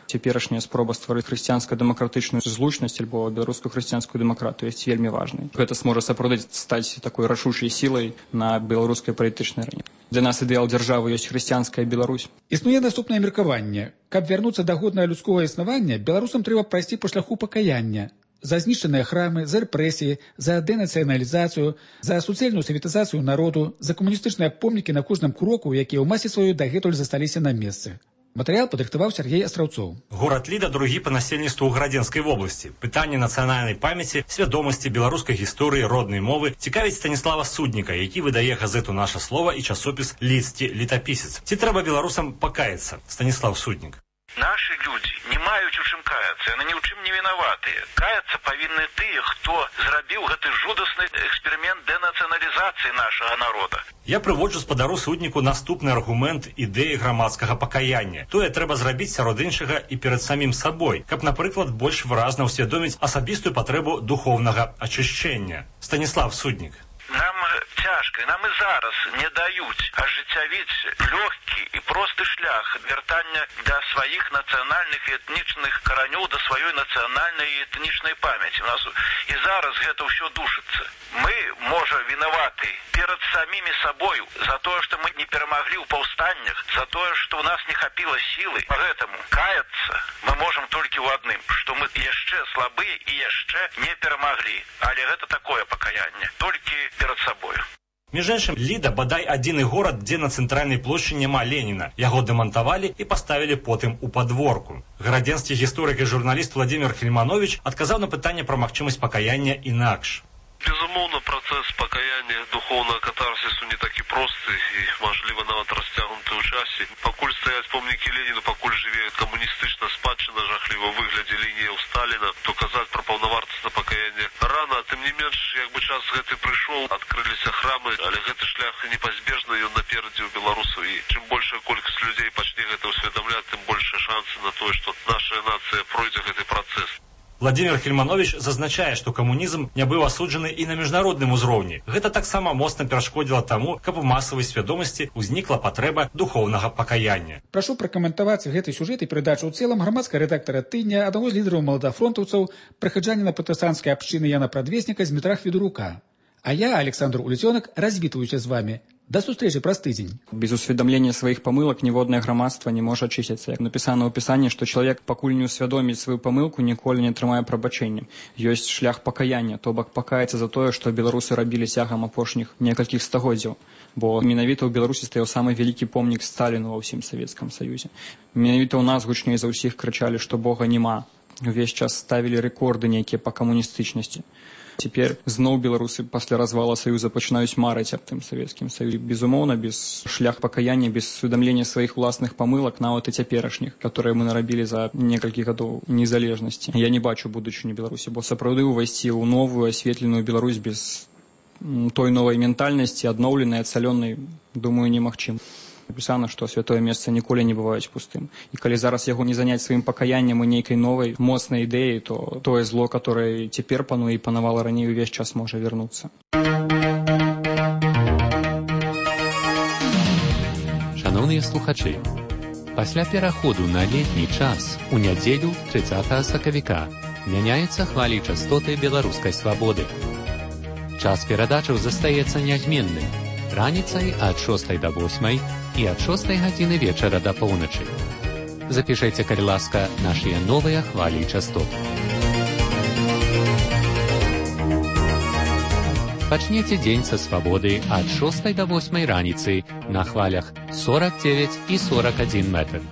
Цяперашняя спроба стварыць хрысціянска-дэмакратычную злучнасць альбо беларускую хрысціянскую дэмакратыю ёсць вельмі важнай. Гэта зможа сапраўды стаць такой рашучай сілай на беларускай палітычнай арэне. Для нас ідэал дзяржавы ёсць хрысціянская Беларусь. Існуе наступнае меркаванне. Каб вярнуцца да годнага людскога існавання, беларусам трэба прайсці па шляху пакаяння. За знішчаныя храмы, за рэпрэсіі, за дэнацыяналізацыю, за суцэльную саветызацыю народу, за камуністычныя помнікі на кожным кроку, якія ў масе сваёй дагэтуль засталіся на месцы. Матэрыял падрыхтаваў Сергей Астраўцоў. Горад Ліда другі па насельніцтву ў Гарадзенскай вобласці. Пытанне нацыянальнай памяці, свядомасці беларускай гісторыі, роднай мовы цікавіць Станіслава Судніка, які выдае газету «Наша слова» і часопіс «Лісці летапісец». Ці трэба беларусам пакаяцца? Станіслав Суднік. Наши люди не маюць у чым каяцца, яны ні ў чым не вінаватыя. Каяцца павінны тыя, хто зрабіў гэты жудасны эксперымент дэнацыяналізацыі нашага народа. Я прыводжу спадару судніку наступны аргумент ідэі грамадскага пакаяння. Тое трэба зрабіць сярод іншага і перад самім сабой, каб, напрыклад, больш выразна ўсвядоміць асабістую патрэбу духоўнага ачышчэння. Станіслав Суднік. Нам цяжка, нам і зараз не даюць ажыццявіць лёгкі і просты шлях вяртання да сваіх нацыянальных і этнічных каранёў, да сваёй нацыянальнай і этнічнай памяці. У нас і зараз гэта ўсё душыцца. Мы, можа, вінаваты перад самімі сабою за тое, што мы не перамаглі ў паўстаннях, за тое, што ў нас не хапіла сілы. Поэтому каяцца мы можам толькі ў адным, што мы яшчэ слабыя і яшчэ не перамаглі. Але гэта такое пакаянне, толькі перад сабою. Між іншым, Ліда бадай адзіны горад, дзе на цэнтральнай плошчы няма Леніна. Яго дэмантавалі і паставілі потым у падворку. Гарадзенскі гісторык і журналіст Владзімір Хельманович адказаў на пытанне пра магчымасць пакаяння інакш. Безумоўна, працэс пакаяння духоўнага катарсісу не такі просты і, мажліва, нават расцягнуты ў часе. Пакуль стаяць помнікі Леніну, пакуль жыве камуністычна спадчына жахліва выглядзе лініяў Сталіна, то казаць пра паўнавартаснае пакаянне рана, тым не менш, як бы час гэты прыйшоў, адкрыліся храмы, але гэты шлях непазбежны, ён наперадзе ў беларусаў, і чым большая колькасць людзей пачне гэта ўсведамляць, тым большыя шансы на тое, што наша нацыя пройдзе гэты працэс. Владзімір Хельманович зазначае, што камунізм не быў асуджаны і на міжнародным узроўні. Гэта таксама моцна перашкодзіла таму, каб у масавай свядомасці ўзнікла патрэба духоўнага пакаяння. Прашу пракаментаваць гэты сюжэт і перадачу ў цэлым грамадскага рэдактара тыдня, аднаго з лідараў маладафронтаўцаў, прыхаджаніна пратэстанцкай абшчыны Яна Прадвесніка з Дмітра Хведурука. А я, Александр Улецёнак, развітваюся з вами. До сустрэчы праз тыдзень. Без усведомлення сваіх памылак ніводнае грамадства не можа ачысціцца. Як напісана ў пісанні, што чалавек, пакуль не ўсвядоміць сваю памылку, ніколі не атрымае прабачэння. Ёсць шлях пакаяння, то бок пакаяцца за тое, што беларусы рабілі цягам апошніх некалькіх стагоддзяў. Бо менавіта ў Беларусі стаяў самы вялікі помнік Сталіну ва ўсім Савецкам Саюзе. Менавіта ў нас гучней за ўсіх крычалі, што Бога няма. Увесь час ставілі рэкорды нейкія па камуністычнасці. Цяпер зноў беларусы пасля развала Саюза пачынаюць марыць аб тым Савецкім Саюзе. Безумоўна, без шлях пакаяння, без усведамлення сваіх уласных памылак, нават і цяперашніх, которые мы нарабілі за некалькі гадоў незалежнасці. Я не бачу будучыню Беларусі, бо сапраўды ўвайсці ў новую асветленую Беларусь без той новай ментальнасці, адноўленай, адцалёнай, думаю, немагчыма. Напісана, што святое месца ніколі не бываюць пустым. І калі зараз яго не заняць сваім пакаяннем і нейкай новай моцнай ідэі, то тое зло, которое цяпер пануе і панавала раней, увесь час можа вярнуцца. Шановныя слухачы, пасля пераходу на летні час у нядзелю трыццатага сакавіка мяняюцца хвалі частоты беларускай свабоды. Час перадачаў застаецца нязменным. Раніцай ад шостай да восьмай і ад шостай гадзіны вечара да поўначы. Запішайце, калі ласка, нашыя новыя хвалі частот. Пачнеце дзень са свабоды ад шостай да восьмай раніцы на хвалях сорок девять і сорок один метр.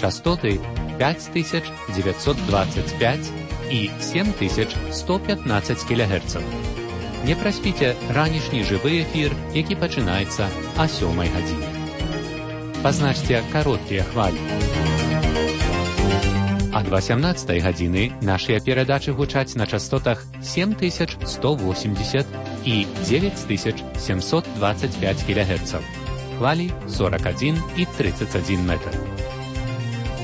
Частоты пять тысяч девятьсот двадцать пять і семь тысяч сто пятнадцать кілогерцаў. Не праспіце ранішні жывы эфір, які пачынаецца а сёмай гадзіне. Пазначце кароткія хвалі. Ад васямнаццатай гадзіны нашыя перадачы гучаць на частотах семь тысяч сто восемьдесят і девять тысяч семьсот двадцать пять кілогерцаў. Хвалі сорок один і тридцать один метр.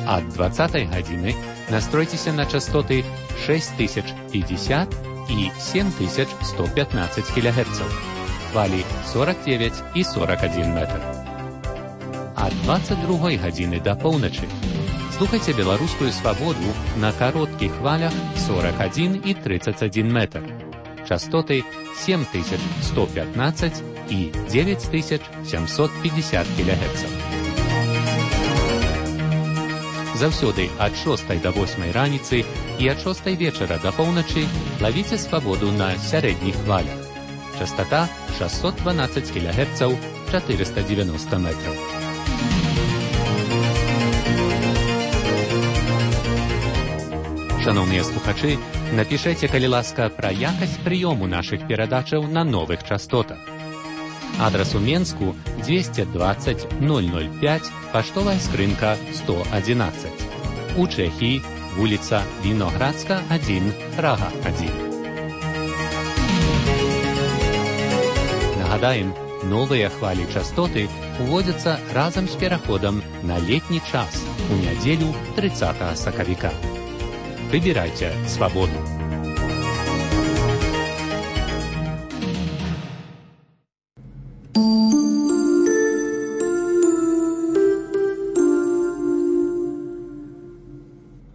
Ад двадцатай гадзіны настройцеся на частоты шесть тысяч пятьдесят і семь тысяч сто пятнадцать кілогерцаў. Хвалі сорок девять і сорок один метр. Ад двадцать другой гадзіны да поўначы слухайце беларускую свабоду на кароткіх хвалях сорок один і тридцать один метр. Частоты семь тысяч сто пятнадцать і девять тысяч семьсот пятьдесят кілогерцаў. Заўсёды ад шостай да восьмай раніцы і ад шостай вечара да поўначы лавіце свабоду на сярэдніх хвалях. Частота шестьсот двенадцать кілогерцаў, четыреста девяносто метров. Шановныя слухачы, напішайце, калі ласка, пра якасць прыёму нашых перадачаў на новых частотах. Адрас у Менску двести двадцать ноль ноль пять, паштовая скрынка сто одиннадцать. У Чэхіі вуліца Віноградска адзін, Прага адзін. Нагадаем, новыя хвалі частоты уводзяцца разам з пераходам на летні час у нядзелю трыццатага сакавіка. Выбірайце свабоду.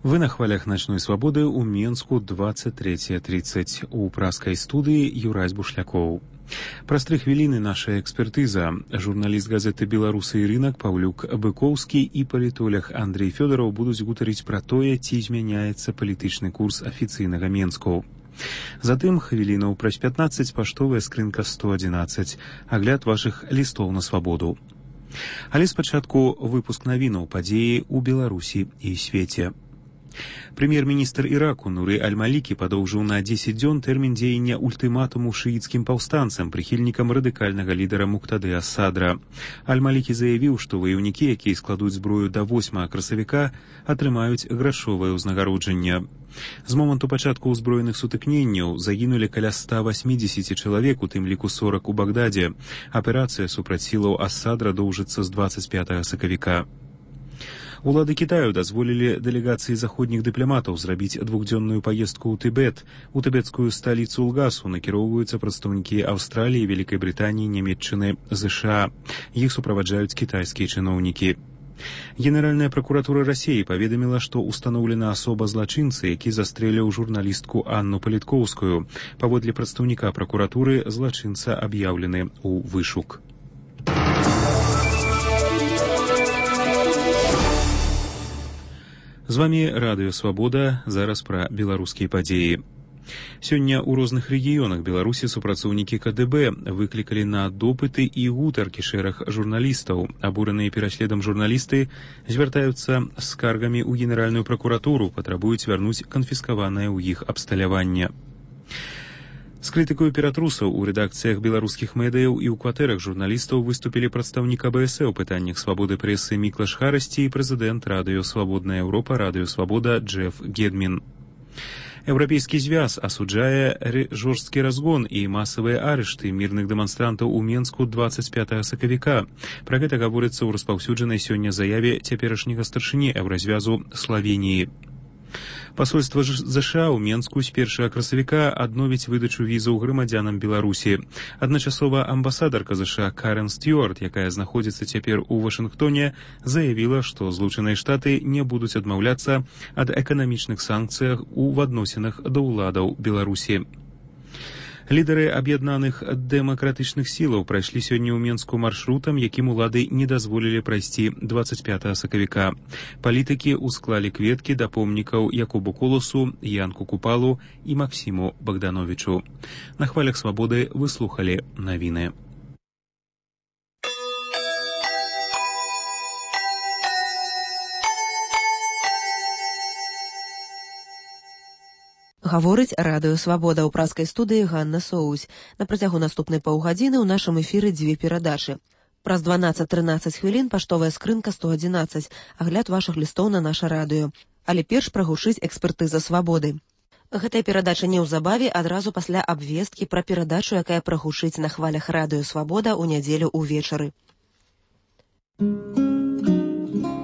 Вы на хвалях «Ночной свободы» у Менску двадцать третье тридцать. У праскай студыі Юрась Бушлякоў. Праз тры хвіліны наша экспертыза. Журналіст газеты «Беларусы і рынак» Паўлюк Быкоўскі і палітолог Андрей Фёдораў будуць гутарыць пра тое, ці змяняецца палітычны курс афіцыйнага Менску. Затым хвілінаў праз пятнаццаць паштовая скрынка сто адзінаццаць. Агляд вашых лістоў на свабоду. Але спачатку выпуск навінаў падзеі ў Беларусі і свеце. Прэм'ер-міністр Іраку Нуры Аль-Малікі падоўжыў на дзесяць дзён тэрмін дзеяння ультыматуму шыіцкім паўстанцам, прыхільнікам радыкальнага лідара Муктады Ас-Садра. Аль-Малікі заявіў, што ваяўнікі, якія складуць зброю да восьмага красавіка, атрымаюць грашовае ўзнагароджанне. З моманту пачатку ўзброеных сутыкненняў загінулі каля ста васьмідзесяці чалавек, у тым ліку сорак у Багдадзе. Аперацыя супраць сілаў Ас-Садра доўжыцца з дваццаць пятага сакавіка. Улады Китаю дазволілі дэлегацыі заходніх дыпламатаў зрабіць двухдзённую паездку ў Тыбет. У тыбецкую сталіцу Лгасу накіроўваюцца прадстаўнікі Аўстраліі, Вялікай Брытаніі, Нямецчыны, ЗША. Іх суправаджаюць кітайскія чыноўнікі. Генеральная пракуратура Расіі паведаміла, што устаноўлена асоба злачынцы, які застрэліў журналістку Анну Паліткоўскую. Паводле прадстаўніка пракуратуры, злачынца аб'яўлены ў вышук. З вамі Радыё Свабода, зараз пра беларускія падзеі. Сёння ў розных рэгіёнах Беларусі супрацоўнікі ка дэ бэ выклікалі на допыты і гутаркі шэраг журналістаў. Абураныя пераследам журналісты звяртаюцца з скаргамі ў Генеральную пракуратуру, патрабуюць вярнуць канфіскаванае ў іх абсталяванне. З крытыкаю ператрусаў у рэдакцыях беларускіх медыяў і ў кватэрах журналістаў выступілі прадстаўнік а бэ эс э ў пытаннях свабоды прэсы Міклаш Харасці і прэзідэнт Радыё Свабодная Еўропа Радыё Свабода Джеф Гедмін. Еўрапейскі звяз асуджае жорсткі разгон і масавыя арышты мірных дэманстрантаў у Менску дваццаць пятага сакавіка. Пра гэта гаворыцца ў распаўсюджанай сёння заяве цяперашняга старшыні еўразвязу Славеніі. Пасольства ЗША ў Менску з першага красавіка адновіць выдачу візаў грамадзянам Беларусі. Адначасова амбасадарка ЗША Карен Стюарт, якая знаходзіцца цяпер у Вашынгтоне, заявіла, што Злучаныя Штаты не будуць адмаўляцца ад эканамічных санкцыях у адносінах да ўладаў Беларусі. Лідары аб'яднаных дэмакратычных сілаў прайшлі сёння ў Менску маршрутам, якім улады не дазволілі прайсці дваццаць пятага сакавіка. Палітыкі ўсклалі кветкі да помнікаў Якубу Коласу, Янку Купалу і Максіму Богдановичу. На хвалях свабоды вы слухалі навіны. Гаворыць Радыё Свабода, ў праскай студыі Ганна Соусь. На працягу наступнай паўгадзіны ў нашым эфіры дзве перадачы. Праз дванаццаць-трынаццаць хвілін паштовая скрынка сто адзінаццаць, агляд вашых лістоў на наша радыё. Але перш прагучыць экспертыза свабоды. Гэтая перадача неўзабаве адразу пасля абвесткі пра перадачу, якая прагучыць на хвалях Радыё Свабода ў нядзелю ўвечары.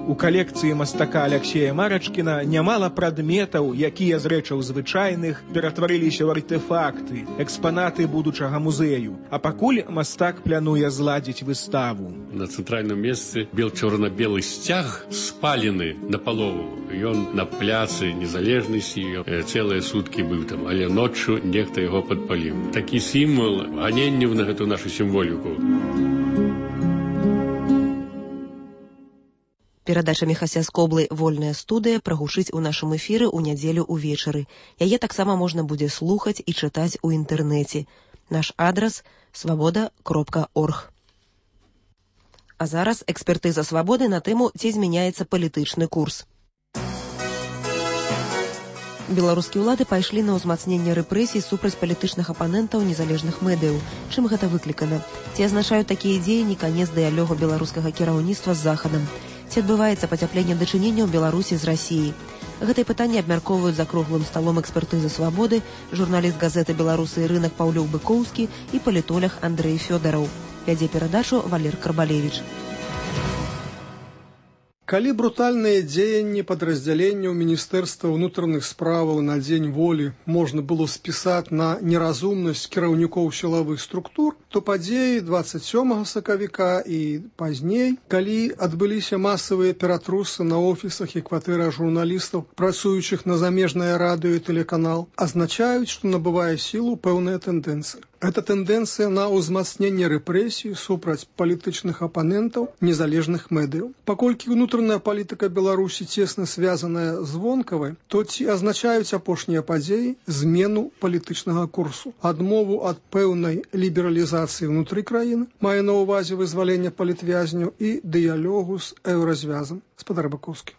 У калекцыі мастака Аляксея Марачкіна нямала прадметаў, якія з рэчаў звычайных ператварыліся ў артэфакты, экспанаты будучага музею. А пакуль мастак плануе зладзіць выставу. На цэнтральным месцы бел-чорна-белы сцяг спалены напалову. Ён на пляцы Незалежнасці цэлыя суткі быў там, але ноччу нехта яго падпаліў. Такі сімвал ганенняў на гэту нашу сімволіку. Перадача Міхася Скоблы «Вольная студыя» прагучыць у нашым эфіры ў нядзелю ўвечары. Яе таксама можна будзе слухаць і чытаць у інтэрнэце. Наш адрас – свабода кропка орг. А зараз экспертыза свабоды на тэму, ці змяняецца палітычны курс. Беларускія ўлады пайшлі на ўзмацненне рэпрэсій супраць палітычных апанентаў незалежных медыяў. Чым гэта выклікана? Ці азначаюць такія дзеянні канец дыялогу беларускага кіраўніцтва з Захадам? Ці Ці адбываецца пацяпленне дачыненняў Беларусі з Расіяй? Гэтае пытанне абмяркоўваюць за круглым сталом экспертызы «Свабоды» журналіст газеты «Беларусы і рынак» Паўлюк Быкоўскі і палітолог Андрэй Фёдараў. Вядзе перадачу Валер Карбалевіч. Калі брутальныя дзеянні падраздзяленняў Міністэрства ўнутраных справаў на дзень волі можна было спісаць на неразумнасць кіраўнікоў сілавых структур, то падзеі дваццаць сёмага сакавіка і пазней, калі адбыліся масавыя ператрусы на офісах і кватэрах журналістаў, працуючых на замежнае радыё і тэлеканал, азначаюць, што набывае сілу пэўная тэндэнцыя. Гэта тэндэнцыя на ўзмацненне рэпрэсій супраць палітычных апанентаў незалежных медыяў. Паколькі ўнутраная палітыка Беларусі цесна звязаная з вонкавай, то ці азначаюць апошнія падзеі змену палітычнага курсу, адмову ад пэўнай лібералізацыі ўнутры краіны, мае на ўвазе вызвалення палітвязняў і дыялогу з еўразвязам. Спадар Быкоўскі.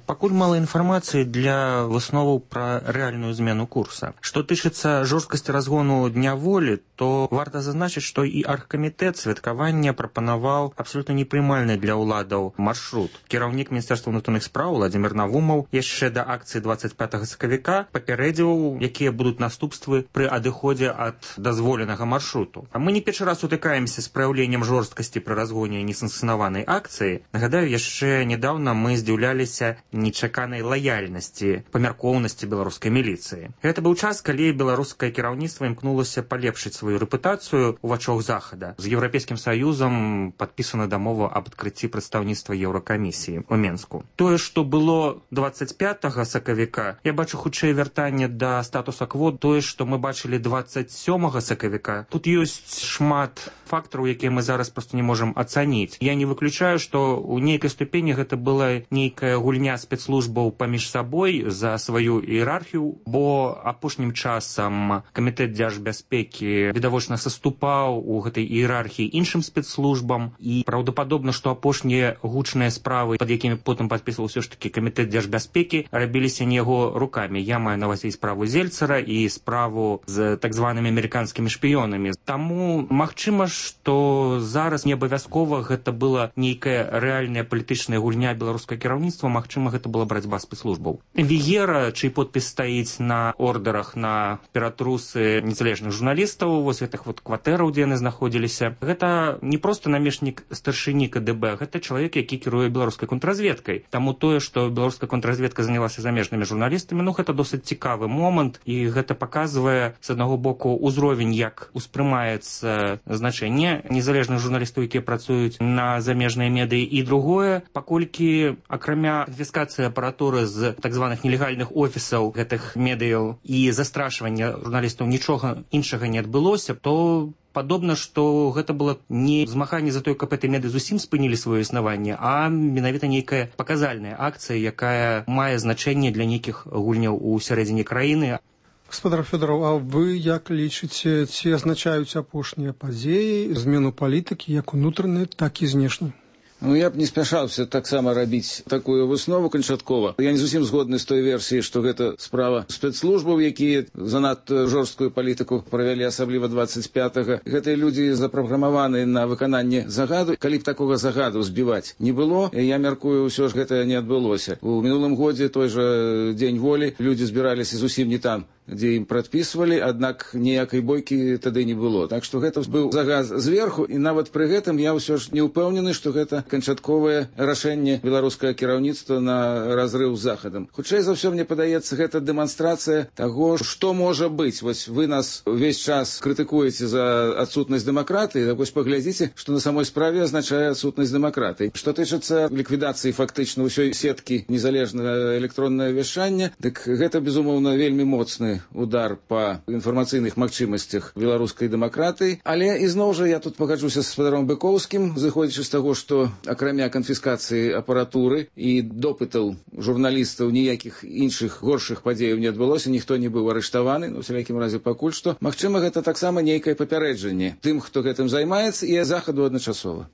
Пакуль мала інфармацыі для высноваў пра рэальную змену курса. Што тычыцца жорсткасці разгону Дня волі, то варта зазначыць, што і аргкамітэт святкавання прапанаваў абсалютна непрымальны для ўладаў маршрут. Кіраўнік Міністэрства ўнутраных спраў Владзімір Навумаў яшчэ да акцыі дваццаць пятага сакавіка папярэдзіў, якія будуць наступствы пры адыходзе ад дазволенага маршруту. А мы не першы раз сутыкаемся з праяўленнем жорсткасці пры разгоне несанкцыянаванай акцыі. Нагадаю, яшчэ нядаўна мы здзіўляліся нечаканай лаяльнасці, памяркоўнасці беларускай міліцыі. Гэта быў час, калі беларускае кіраўніцтва імкнулася палепшыць сваю рэпутацыю ў вачах захада. З Еўрапейскім саюзам падпісана дамова аб адкрыцці прадстаўніцтва Еўракамісіі ў Менску. Тое, што было дваццаць пятага сакавіка, я бачу хутчэй вяртанне да статуса кво, тое, што мы бачылі дваццаць сёмага сакавіка. Тут ёсць шмат фактараў, якія мы зараз проста не можам ацаніць. Я не выключаю, што ў нейкай ступені гэта была нейкая гульня спецслужбаў паміж сабой за сваю іерархію, бо апошнім часам камітэт дзяржбяспекі відавочна саступаў у гэтай іерархіі іншым спецслужбам, і праўдападобна, што апошнія гучныя справы, пад якімі потым падпісваў ўсё ж такі камітэт дзяржбяспекі, рабіліся не яго рукамі. Я маю на ўвазе і справу Зельцара, і справу з так званымі амерыканскімі шпіёнамі. Таму магчыма, што зараз не абавязкова гэта была нейкая рэальная палітычная гульня беларускага кіраўніцтва, магчыма, гэта была барацьба спецслужбаў. Віера, чый подпіс стаіць на ордерах на ператрусы незалежных журналістаў, вось гэтых вот кватэраў, дзе яны знаходзіліся, гэта не проста намешнік старшыні ка дэ бэ, гэта чалавек, які кіруе беларускай контрразведкай. Таму тое, што беларуская контрразведка занялася замежнымі журналістамі, ну гэта досыць цікавы момант, і гэта паказвае, з аднаго боку, узровень, як успрымаецца значэнне незалежных журналістаў, якія працуюць на замежныя медыі, і другое, паколькі акрамя канфіскацыі апаратуры з так званых нелегальных офісаў гэтых медыяў і застрашвання журналістаў нічога іншага не адбылося, то падобна, што гэта было не змаганне за тое, каб гэтыя медыі зусім спынілі сваё існаванне, а менавіта нейкая паказальная акцыя, якая мае значэнне для нейкіх гульняў у сярэдзіне краіны. Гаспадар Фёдараў, а вы як лічыце, ці азначаюць апошнія падзеі змену палітыкі як унутранай, так і знешняй? Ну, я б не спяшаўся таксама рабіць такую выснову канчаткова. Я не зусім згодны з той версіяй, што гэта справа спецслужбаў, якія занадта жорсткую палітыку правялі, асабліва дваццаць пятага. Гэтыя людзі запраграмаваны на выкананне загаду. Калі б такога загаду збіваць не было, я мяркую, ўсё ж гэта не адбылося. У мінулым годзе той жа Дзень волі людзі збіраліся зусім не там, дзе ім прадпісвалі, аднак ніякай бойкі тады не было. Так што гэта быў загад зверху, і нават пры гэтым я ўсё ж не ўпэўнены, што гэта канчатковае рашэнне беларускага кіраўніцтва на разрыў з захадам. Хутчэй за ўсё, мне падаецца, гэта дэманстрацыя таго, што можа быць. Вось вы нас увесь час крытыкуеце за адсутнасць дэмакратыі, так вось паглядзіце, што на самой справе азначае адсутнасць дэмакратыі. Што тычыцца ліквідацыі фактычна ўсёй сеткі незалежнага электроннага вяшчання, дык гэта, безумоўна, вельмі моцны удар па інфармацыйных магчымасцях беларускай дэмакратыі. Але ізноў жа я тут пагаджуся з спадаром Быкоўскім, зыходзячы з таго, што акрамя канфіскацыі апаратуры і допытаў журналістаў ніякіх іншых горшых падзеяў не адбылося, ніхто не быў арыштаваны, ну, у всялякім разе пакуль што. Магчыма, гэта таксама нейкае папярэджанне тым, хто гэтым займаецца, і захаду адначасова.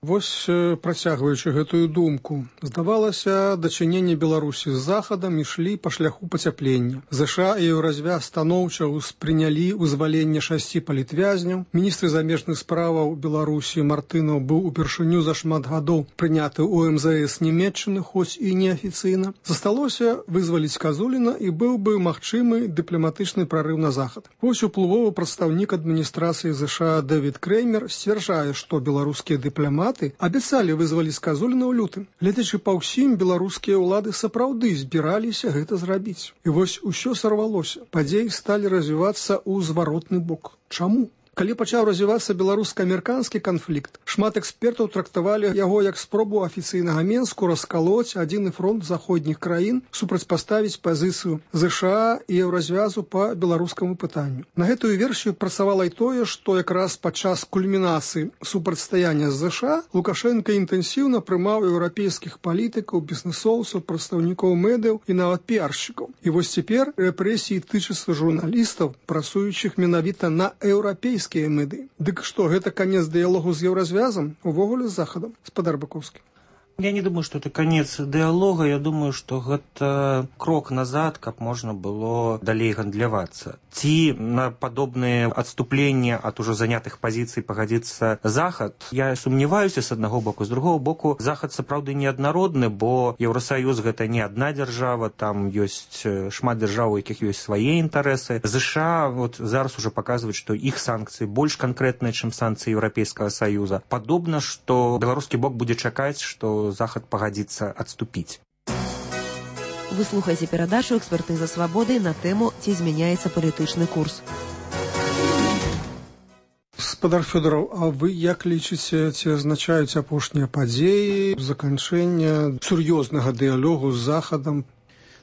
Вось, працягваючы гэтую думку, здавалася, дачыненне Беларусі з Захадам ішлі па шляху пацяплення. ЗША і Еўразвяз станоўча ўспрынялі вызваленне шасці палітвязняў. Міністр замежных справаў Беларусі Мартынаў быў упершыню за шмат гадоў прыняты ў эм зэ эс Нямецчыны, хоць і неафіцыйна. Засталося вызваліць Казуліна і быў бы магчымы дыпламатычны прарыў на захад. Вось уплывовы прадстаўнік адміністрацыі ЗША Дэвід Креймер сцвярджае, што беларускія дыпламаты абяцалі вызваліць Казуліна ў лютым. Гледзячы па ўсім, беларускія ўлады сапраўды збіраліся гэта зрабіць. І вось усё сарвалося. Падзеі сталі развівацца ў зваротны бок. Чаму? Калі пачаў развівацца беларуска-амерыканскі канфлікт, шмат экспертаў трактавалі яго як спробу афіцыйнага Менску раскалоць адзіны фронт заходніх краін, супрацьпаставіць пазіцыю ЗША і Еўразвязу па беларускаму пытанню. На гэтую версію працавала і тое, што якраз падчас кульмінацыі супрацьстаяння з ЗША Лукашенка інтэнсіўна прымаў еўрапейскіх палітыкаў, бізнесоўцаў, прадстаўнікоў медыяў і нават піаршчыкаў. І вось цяпер рэпрэсіі тычацца журналістаў, працуючых менавіта на еўрапейскіх меды. Дык што, гэта канец дыялогу з Еўразвязам, увогуле з Захадам? Спадар Баковскі. Я не думаю, что это конец диалога. Я думаю, что это крок назад, как можно было далей гандлявацца. Ці на подобные отступления от уже занятых позиций погодится Захад. Я сомневаюсь с одного боку. С другого боку, Захад сапраўды неаднародны, бо Еўросоюз гэта не одна держава, там есть шмат держав, у якіх есть свои интересы. США вот зараз уже показывают, что их санкции больше конкретные, чем санкции Европейского Союза. Подобно, что белорусский бок будет чакаць, что Захад пагадзіцца адступіць. Вы слухаеце перадачу «Экспертыза свабоды» на тэму «Ці змяняецца палітычны курс». Спадар Фёдораў, а вы як лічыце, ці азначаюць апошнія падзеі заканчэння сур'ёзнага дыялогу з Захадам?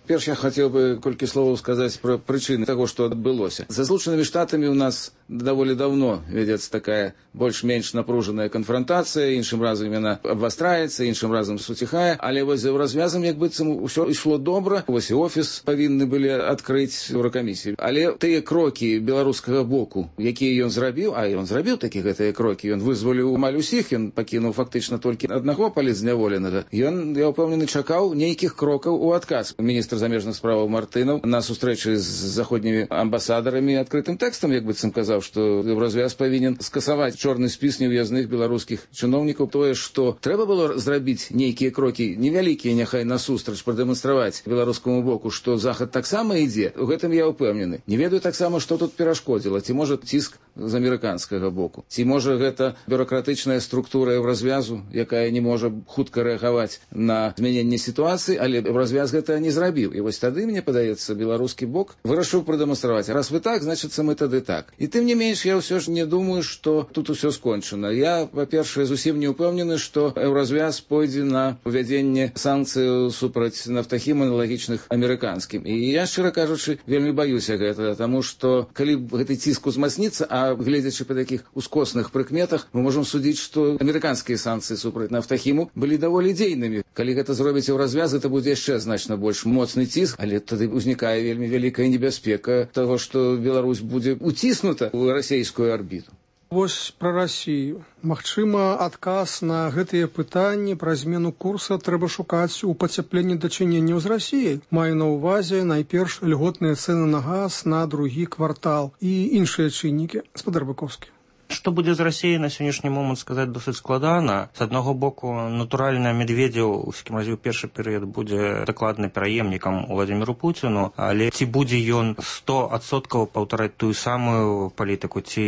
Перш я хотел бы колькі словаў сказаць пра прычыны таго, што адбылося. За Злучанымі Штатамі у нас даволі давно вядзецца такая больш-менш напружаная канфронтацыя, іншым разам яна абвастраецца, іншым разам суціхае, але вось за развязам як быццам усё ішло добра. Вось і офіс павінны былі адкрыць Еўракамісію. Але тыя крокі беларускага боку, якія ён зрабіў, а ён зрабіў такі гэтыя крокі, ён вызваліў амаль усіх, ён пакінуў фактычна толькі аднаго палітзняволенага. Ён, я ўпэўнены, чакаў нейкіх крокаў у адказ. Міністр замежных справаў Мартынаў на сустрэчы з заходнімі амбасадарамі адкрытым тэкстам, як быццам казаў, што Еўразвяз павінен скасаваць чорны спіс неўязных беларускіх чыноўнікаў. Тое, што трэба было зрабіць нейкія крокі невялікія, няхай насустрач прадэманстраваць беларускаму боку, што Захад таксама ідзе, у гэтым я ўпэўнены. Не ведаю таксама, што тут перашкодзіла, ці можа ціск з амерыканскага боку, ці можа гэта бюракратычная структура Еўразвязу, якая не можа хутка рэагаваць на змяненне сітуацыі, але Еўразвяз гэта не зрабіў. І вось тады, мне падаецца, беларускі бок вырашыў прадэманстраваць. Раз вы так, значыцца мы тады так. І тым не менш, я ўсё ж не думаю, што тут усё скончана. Я, па-першае, зусім не ўпэўнены, што Еўразвяз пойдзе на увядзенне санкцыяў супраць нафтахім аналагічных амерыканскім. І я, шчыра кажучы, вельмі баюся гэта, таму што калі гэты ціск узмацніцца, а гледзячы па такіх ускосных прыкметах, мы можам судзіць, што амерыканскія санкцыі супраць нафтахіму былі даволі дзейнымі. Калі гэта зробіць Еўразвяз, гэта будзе яшчэ значна больш моцны ціск, але тады ўзнікае вельмі вялікая небяспека таго, што Беларусь будзе уціснута ў расійскую арбіту. Вось пра Расію. Магчыма, адказ на гэтыя пытанні пра змену курса трэба шукаць у пацяпленні дачыненняў з Расіяй. Маю на ўвазе найперш льготныя цэны на газ на другі квартал і іншыя чыннікі. Спадар Баковскі. Што будзе з Расіяй на сённяшні момант сказаць досыць складана. З аднаго боку, натуральна, Медведзеў, у всякім разе ў першы перыяд, будзе дакладна пераемнікам Владзіміру Пуціну, але ці будзе ён сто адсоткаў паўтараць тую самую палітыку, ці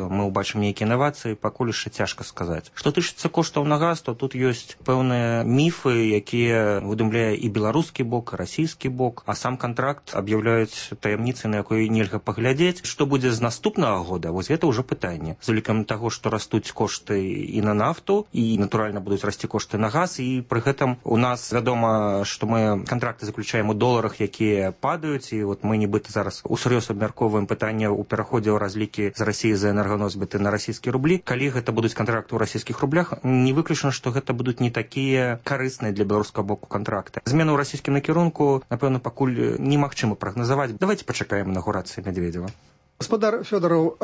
мы ўбачым нейкія інавацыі, пакуль яшчэ цяжка сказаць. Што тычыцца коштаў на газ, то тут ёсць пэўныя міфы, якія выдумляе і беларускі бок, і расійскі бок, а сам кантракт аб'яўляюць таямніцай, на якую нельга паглядзець. Што будзе з наступнага года, вось гэта ўжо пытанне. З улікам таго, што растуць кошты і на нафту, і, натуральна, будуць расці кошты на газ, і пры гэтым у нас вядома, што мы кантракты заключаем у доларах, якія падаюць, і вот мы нібыта зараз усур'ёз абмяркоўваем пытанне ў пераходзе ў разлікі з Расіі за энерганосьбіты на расійскія рублі. Калі гэта будуць кантракты ў расійскіх рублях, не выключана, што гэта будуць не такія карысныя для беларускага боку кантракты. Змену ў расійскім накірунку, напэўна, пакуль немагчыма прагназаваць. Давайте пачакаем інаўгурацыі Медведзева. Гаспадар Фёдораў,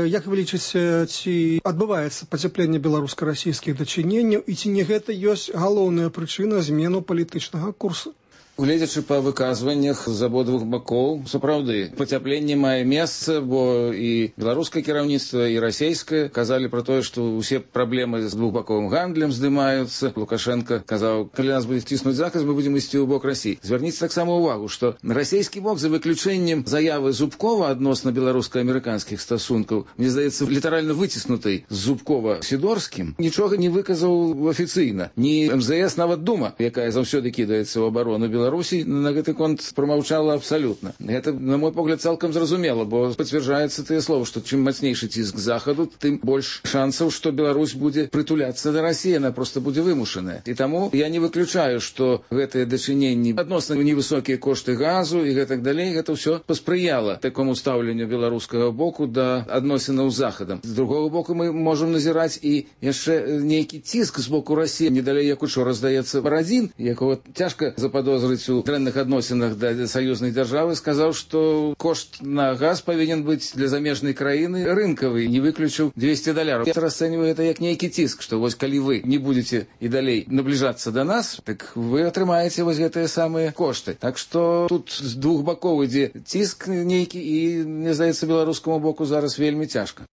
як вы лічыце, ці адбываецца пацяпленне беларуска-расійскіх дачыненняў і ці не гэта ёсць галоўная прычына змену палітычнага курсу? Гледзячы па выказваннях з абодвух бакоў, сапраўды, пацяпленне мае месца, бо і беларускае кіраўніцтва, і расійскае казалі пра тое, што ўсе праблемы з двухбаковым гандлем здымаюцца. Лукашенко казаў, калі нас будзе ціснуць захад, мы будзем ісці ў бок Расіі. Звярніце таксама ўвагу, што расійскі бок, за выключэннем заявы Зубкова адносна беларуска-амерыканскіх стасункаў, мне здаецца, літаральна выціснутай з Зубкова-Сідорскім, нічога не выказаў афіцыйна. Ні эм зэ эс, нават Дума, якая заўсёды кідаецца ў абарону Беларусі, Беларусі на гэты конт прамаўчала абсалютна. Гэта, на мой погляд, цалкам зразумела, бо пацвярджаецца тыя словы, што чым мацнейшы ціск захаду, тым больш шансаў, што Беларусь будзе прытуляцца да Расіі, она проста будзе вымушаная. І таму я не выключаю, што гэтыя дачыненні адносна невысокія кошты газу і гэтак далей, гэта ўсё паспрыяла такому стаўленню беларускага боку да адносінаў з захадам. З другога боку, мы можам назіраць і яшчэ нейкі ціск з боку Расіі. Не далей, як учора, здаецца, Барадзін, якого цяжка заподозрыць у дрэнных адносінах да саюзнай дзяржавы, сказаў, што кошт на газ павінен быць для замежнай краіны рынкавы, не выключыў двести даляраў. Я расцэньваю это як нейкі ціск, што вось калі вы не будзеце і далей набліжацца да нас, так вы атрымаеце вось гэтыя самыя кошты. Так што тут з двух бакоў ідзе ціск нейкі і, мне здаецца, беларускаму боку зараз вельмі цяжка.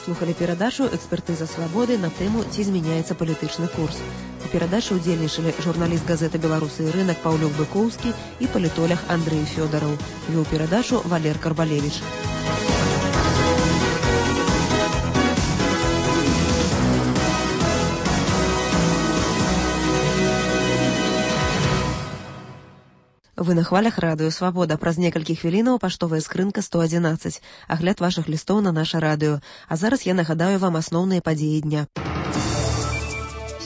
Слухали перадачу «Экспертыза свабоды» на тэму «Ці змяняецца палітычны курс». У перадачы ўдзельнічалі журналіст газеты «Беларусы і рынак» Паўлюк Быкоўскі і палітолог Андрэй Фёдораў. Вёў перадачу Валер Карбалевіч. Вы на хвалях радыё «Свабода». Праз некалькі хвілінаў паштовая скрынка сто адзінаццаць. Агляд вашых лістоў на наша радыё. А зараз я нагадаю вам асноўныя падзеі дня.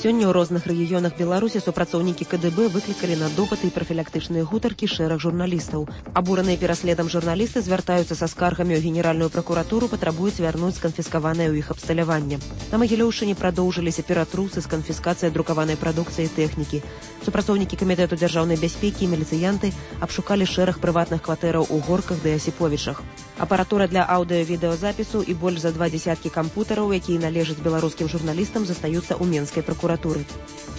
Сёння ў розных рэгіёнах Беларусі супрацоўнікі ка дэ бэ выклікалі на допыты і прафілактычныя гутаркі шэраг журналістаў. Абураныя пераследам журналісты звяртаюцца са скаргамі ў Генеральную пракуратуру, патрабуюць вярнуць сканфіскаванае ў іх абсталяванне. На Магілёўшчыне продоўжыліся ператрусы з канфіскацыяй друкаванай прадукцыі і тэхнікі. Супрацоўнікі камітэту дзяржаўнай бяспекі і міліцыянты абшукалі шэраг прыватных кватэраў у Горках ды Асіповічах. Апаратура для аўдыё-відэазапісу і больш за два дзясяткі кампутараў, якія належаць беларускім журналістам, застаюцца ў Менскай пракуратуры.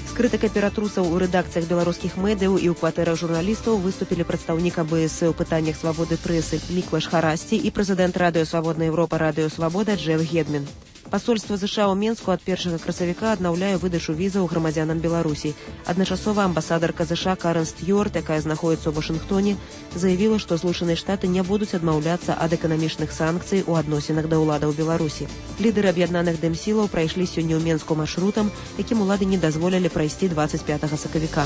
З крытыкай ператрусаў у рэдакцыях беларускіх медыяў і ў кватэрах журналістаў выступілі прадстаўнік а бэ эс у пытаннях свабоды прэсы Міклаш Харасці і прэзідэнт радыё «Свабодная Еўропа» радыё «Свабода» Джеф Гедмін. Пасольства ЗША ў Менску ад першага красавіка аднаўляе выдачу візаў грамадзянам Беларусі. Адначасова амбасадарка ЗША Карен Стюарт, якая знаходзіцца ў Вашынгтоне, заявіла, што Злучаныя Штаты не будуць адмаўляцца ад эканамічных санкцый у адносінах да ўладаў Беларусі. Лідары аб'яднаных дэмсілаў прайшлі сёння ў Менску маршрутам, якім улады не дазволілі прайсці дваццаць пятага сакавіка.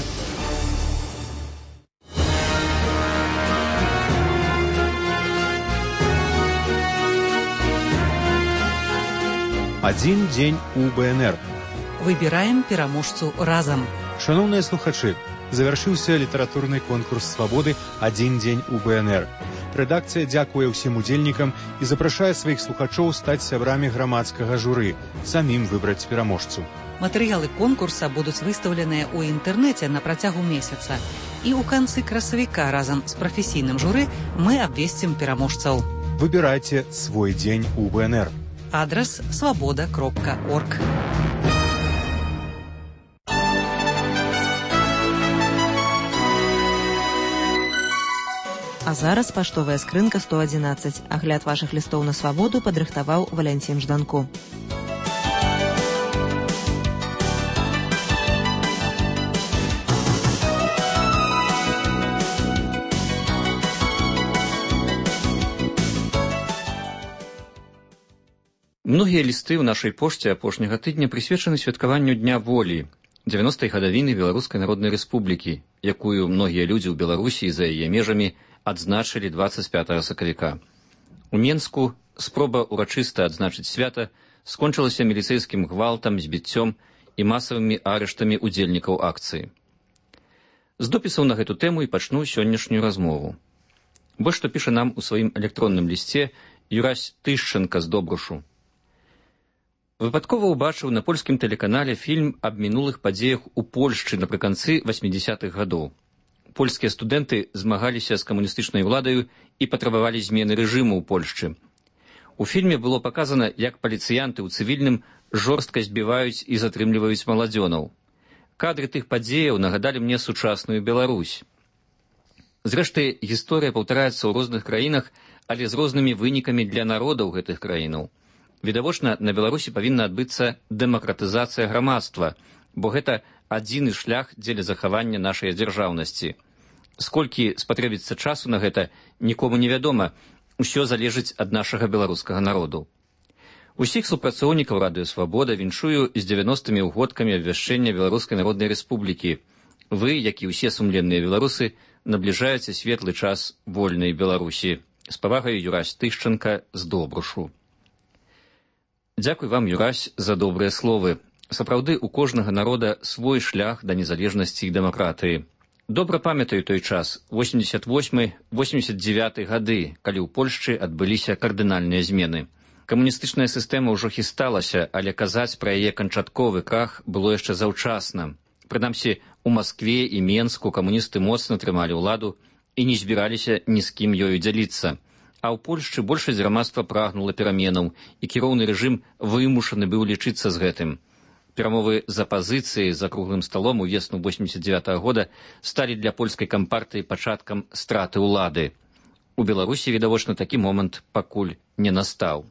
Адзін дзень у бэ эн эр. Выбіраем пераможцу разам. Шаноўныя слухачы, завяршыўся літаратурны конкурс свабоды «Адзін дзень у бэ эн эр». Рэдакцыя дзякуе ўсім удзельнікам і запрашае сваіх слухачоў стаць сябрамі грамадскага журы, самім выбраць пераможцу. Матэрыялы конкурса будуць выстаўленыя ў інтэрнэце на працягу месяца. І ў канцы красавіка разам з прафесійным журы мы абвесцім пераможцаў. Выбірайце свой дзень у бэ эн эр. Адрес свобода кропка орг. А зараз паштовая скрынка сто адзінаццаць. Агляд вашых лістоў на свабоду падрыхтаваў Валянцін Жданко. Многія лісты ў нашай пошце апошняга тыдня прысвечаны святкаванню Дня волі, дзевяностай гадавіны Беларускай Народнай Рэспублікі, якую многія людзі ў Беларусі і за яе межамі адзначылі дваццаць пятага сакавіка. У Менску спроба урачыста адзначыць свята скончылася міліцэйскім гвалтам, збіццём і масавымі арыштамі удзельнікаў акцыі. З допісаў на гэту тэму і пачну сённяшнюю размову. Вось што піша нам у сваім электронным лісце Юрась Тышченка з Добрушу. Выпадкова ўбачыў на польскім тэлеканале фільм аб мінулых падзеях у Польшчы напрыканцы васьмідзясятых гадоў. польскія студэнты змагаліся з камуністычнай уладаю і патрабавалі змены рэжыму ў Польшчы. У фільме было паказана, як паліцыянты ў цывільным жорстка збіваюць і затрымліваюць маладзёнаў. Кадры тых падзеяў нагадалі мне сучасную Беларусь. Зрэшты, гісторыя паўтараецца ў розных краінах, але з рознымі вынікамі для народаў гэтых краінаў. Відавочна, на Беларусі павінна адбыцца дэмакратызацыя грамадства, бо гэта адзіны шлях дзеля захавання нашай дзяржаўнасці. Сколькі спатрэбіцца часу на гэта, нікому не вядома. Усё залежыць ад нашага беларускага народу. Усіх супрацоўнікаў Радыё Свабода віншую з дзевяностымі ўгодкамі абвяшчэння Беларускай Народнай Рэспублікі. Вы, як і ўсе сумленныя беларусы, набліжаеце светлы час вольнай Беларусі. З павагай, Юрась Тышчанка з Добрушу. Дзякуй вам, Юрась, за добрыя словы. Сапраўды, у кожнага народа свой шлях да незалежнасці і дэмакратыі. Добра памятаю той час, восемьдесят восьмы — восемьдесят девяты гады, калі ў Польшчы адбыліся кардынальныя змены. Камуністычная сістэма ўжо хісталася, але казаць пра яе канчатковы крах было яшчэ заўчасна. Прынамсі, у Маскве і Менску камуністы моцна трымалі ўладу і не збіраліся ні з кім ёю дзяліцца. А ў Польшчы большасць грамадства прагнула пераменаў, і кіроўны рэжым вымушаны быў лічыцца з гэтым. Перамовы з апазіцыяй за круглым сталом у весну восемьдесят девятого года сталі для польскай кампартыі пачаткам страты ўлады. У Беларусі, відавочна, такі момант пакуль не настаў.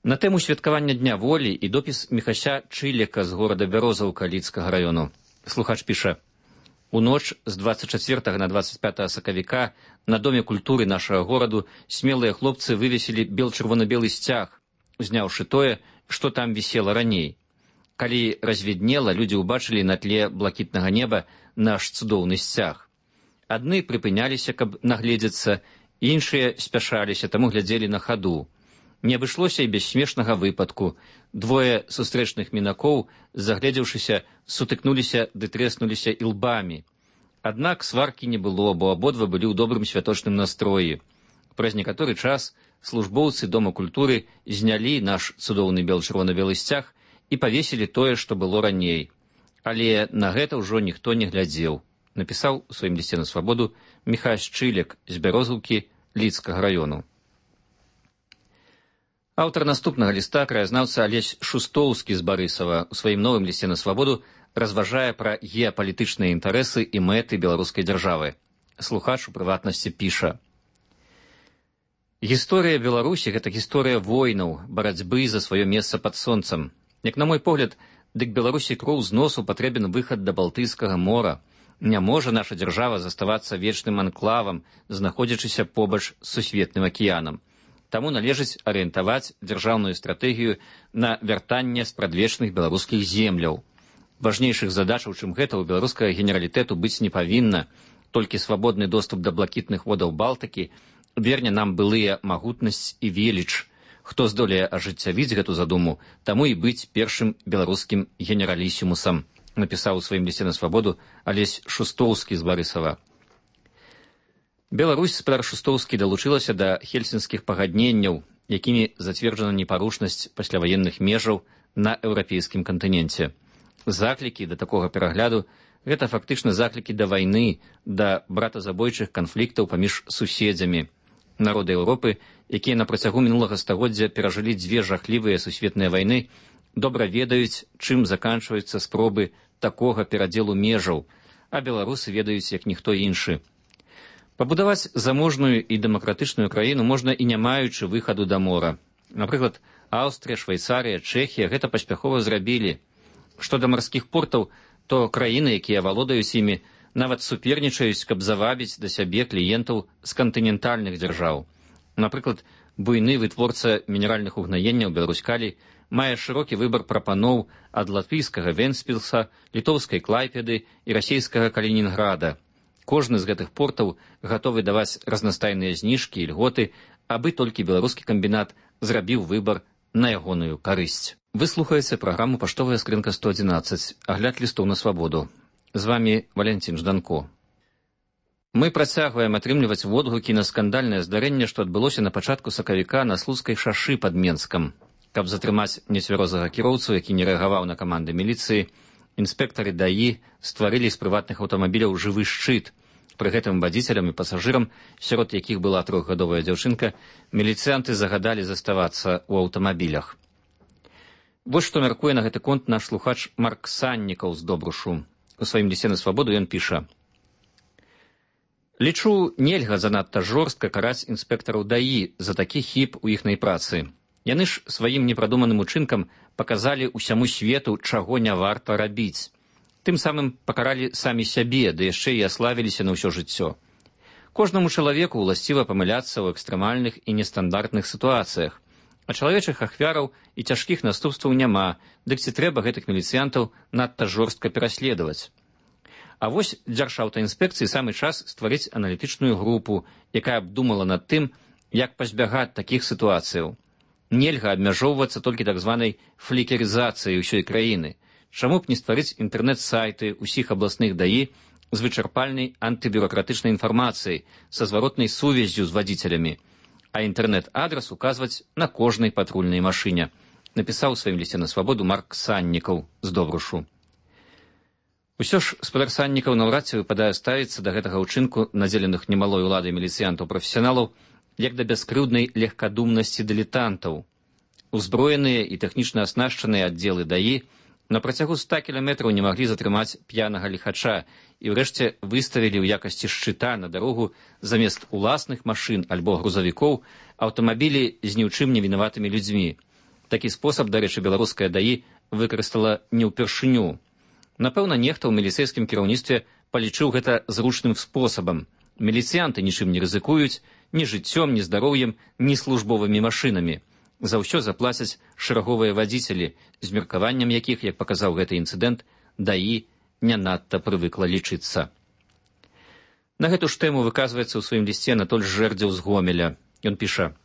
На тэму святкавання Дня волі і допіс Міхася Чылека з горада Бярозаўка Лідскага раёну. Слухач піша: «У ноч з двадцать чацвёртага на двадцать пятое сакавіка на Доме культуры нашага гораду смелыя хлопцы вывесілі бел-чырвона-белы сцяг, узняўшы тое, што там вісела раней. Калі развіднела, людзі ўбачылі на тле блакітнага неба наш цудоўны сцяг. Адны прыпыняліся, каб нагледзецца, іншыя спяшаліся, таму глядзелі на хаду. Не абышлося і без смешнага выпадку. Двое сустрэчных мінакоў, загледзеўшыся, сутыкнуліся ды трэснуліся ілбамі. Аднак сваркі не было, бо абодва былі ў добрым святочным настроі. Праз некаторы час службоўцы Дома культуры знялі наш цудоўны бел-чырвона-белы сцяг і павесілі тое, што было раней. Але на гэта ўжо ніхто не глядзеў, напісаў у сваім лісце на свабоду Міхась Чылек з Бярозаўкі Лідскага раёну. Аўтар наступнага ліста, краязнаўца Алесь Шустоўскі з Барысава, у сваім новым лісце на свабоду разважае пра геапалітычныя інтарэсы і мэты беларускай дзяржавы. Слухач у прыватнасці піша: «Гісторыя Беларусі — гэта гісторыя войнаў, барацьбы за сваё месца пад сонцам. Як на мой погляд, дык Беларусі кроў з носу патрэбен выхад да Балтыйскага мора. Не можа наша дзяржава заставацца вечным анклавам, знаходзячыся побач з сусветным акіянам. Таму належыць арыентаваць дзяржаўную стратэгію на вяртанне спрадвечных беларускіх земляў. Важнейшых задачаў, чым гэта, у беларускага генералітэту быць не павінна. Толькі свабодны доступ да блакітных водаў Балтыкі верне нам былыя магутнасць і веліч. Хто здолее ажыццявіць гэту задуму, таму і быць першым беларускім генералісімусам», напісаў у сваім лісце на свабоду Алесь Шустоўскі з Барысава. Беларусь, спадар Шустоўскі, далучылася да хельсінскіх пагадненняў, якімі зацверджана непарушнасць пасляваенных межаў на еўрапейскім кантыненце. Заклікі да такога перагляду — гэта фактычна заклікі да вайны, да братазабойчых канфліктаў паміж суседзямі. Народы Еўропы, якія на працягу мінулага стагоддзя перажылі дзве жахлівыя сусветныя вайны, добра ведаюць, чым заканчваюцца спробы такога перадзелу межаў, а беларусы ведаюць, як ніхто іншы. Пабудаваць заможную і дэмакратычную краіну можна і не маючы выхаду да мора. Напрыклад, Аўстрыя, Швейцарыя, Чэхія гэта паспяхова зрабілі. Што да марскіх портаў, то краіны, якія валодаюць імі, нават супернічаюць, каб завабіць да сябе кліентаў з кантынентальных дзяржаў. Напрыклад, буйны вытворца мінеральных угнаенняў Беларусь-Калій мае шырокі выбар прапаноў ад латвійскага Вентспілса, літоўскай Клайпеды і расійскага Калінінграда. Кожны з гэтых портаў гатовы даваць разнастайныя зніжкі і льготы, абы толькі беларускі камбінат зрабіў выбар на ягоную карысць. Вы слухаеце праграму «Паштовая скрынка сто адзінаццаць», агляд лістоў на свабоду. З вамі Валянцін Жданко. Мы працягваем атрымліваць водгукі на скандальнае здарэнне, што адбылося на пачатку сакавіка на Слуцкай шашы пад Менскам. Каб затрымаць нецвярозага кіроўцу, які не рэагаваў на каманды міліцыі, Інспектары даі стварылі з прыватных аўтамабіляў жывы шчыт. Пры гэтым вадзіцелям і пасажырам, сярод якіх была трохгадовая дзяўчынка, міліцыянты загадалі заставацца ў аўтамабілях. Вось што мяркуе на гэты конт наш слухач Марк Саннікаў з Добрушу. У сваім лісце на свабоду ён піша: «Лічу, нельга занадта жорстка караць інспектараў даі за такі хіб у іхнай працы. Яны ж сваім непрадуманым учынкам паказалі ўсяму свету, чаго не варта рабіць. Тым самым пакаралі самі сябе, ды яшчэ і аславіліся на ўсё жыццё. Кожнаму чалавеку ўласціва памыляцца ў экстрэмальных і нестандартных сітуацыях, а чалавечых ахвяраў і цяжкіх наступстваў няма, дык ці трэба гэтых міліцыянтаў надта жорстка пераследаваць. А вось дзяржаўтаінспекцыі самы час стварыць аналітычную групу, якая абдумала над тым, як пазбягаць такіх сітуацыяў. Нельга абмяжоўвацца толькі так званай флікерызацыяй усёй краіны. Чаму б не стварыць інтэрнэт-сайты ўсіх абласных даі з вычарпальнай антыбюракратычнай інфармацыяй, са зваротнай сувяззю з вадзіцелямі, а інтэрнэт-адрас указваць на кожнай патрульнай машыне, напісаў у сваім лісце на свабоду Марк Саннікаў з Добрушу. Усё ж спадар Саннікаў наўрад ці выпадае ставіцца да гэтага ўчынку надзеленых немалой уладай міліцыянтаў-прафесіяналаў як да бяскрыўднай легкадумнасці дылетантаў. Узброеныя і тэхнічна аснашчаныя аддзелы даі на працягу ста кіламетраў не маглі затрымаць п'янага ліхача і ўрэшце выставілі ў якасці шчыта на дарогу замест уласных машын альбо грузавікоў аўтамабілі з ні ў чым не вінаватымі людзьмі. Такі спосаб, дарэчы, беларуская даі выкарыстала не ўпершыню. Напэўна, нехта ў міліцэйскім кіраўніцтве палічыў гэта зручным спосабам. Міліцыянты нічым не рызыкуюць, ні жыццём, ні здароўем, ні службовымі машынамі. За ўсё заплацяць шэраговыя вадзіцелі, з меркаваннем якіх, як паказаў гэты інцыдэнт, даі не надта прывыкла лічыцца. На гэту ж тэму выказваецца ў сваім лісце Анатоль Жэрдзеў з Гомеля. Ён піша: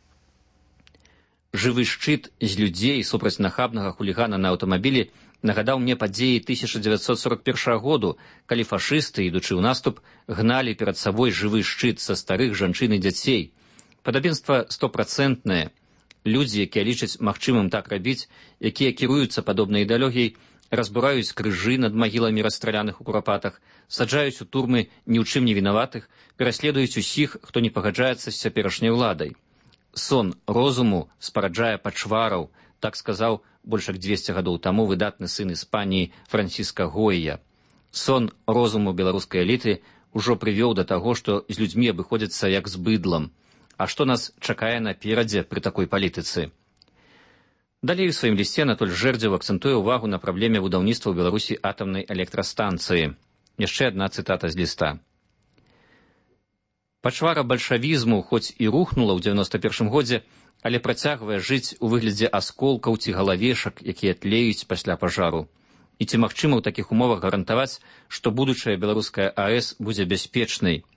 «Жывы шчыт з людзей супраць нахабнага хулігана на аўтамабілі нагадаў мне падзеі тысяча дзевяцьсот сорок першага году, калі фашысты, ідучы ў наступ, гналі перад сабой жывы шчыт са старых жанчын і дзяцей. Падабенства стопрацэнтнае. Людзі, якія лічаць магчымым так рабіць, якія кіруюцца падобнай ідэалогіяй, разбураюць крыжы над магіламі расстраляных у курапатах, саджаюць у турмы ні ў чым не вінаватых, пераследуюць усіх, хто не пагаджаецца з цяперашняй уладай. Сон розуму спараджае пачвараў, так сказаў больш як дзвесце гадоў таму выдатны сын Іспаніі Франціска Гойя. Сон розуму беларускай эліты ўжо прывёў да таго, што з людзьмі абыходзяцца як з быдлам. А што нас чакае наперадзе пры такой палітыцы? Далей у сваім лісце Анатоль Жэрдзеў акцэнтуе ўвагу на праблеме будаўніцтва ў Беларусі атамнай электрастанцыі. Яшчэ адна цытата з ліста. Пачвара бальшавізму хоць і рухнула ў дзевяноста першым годзе, але працягвае жыць у выглядзе асколкаў ці галавешак, якія тлеюць пасля пажару. І ці магчыма ў такіх умовах гарантаваць, што будучая беларуская АЭС будзе бяспечнай?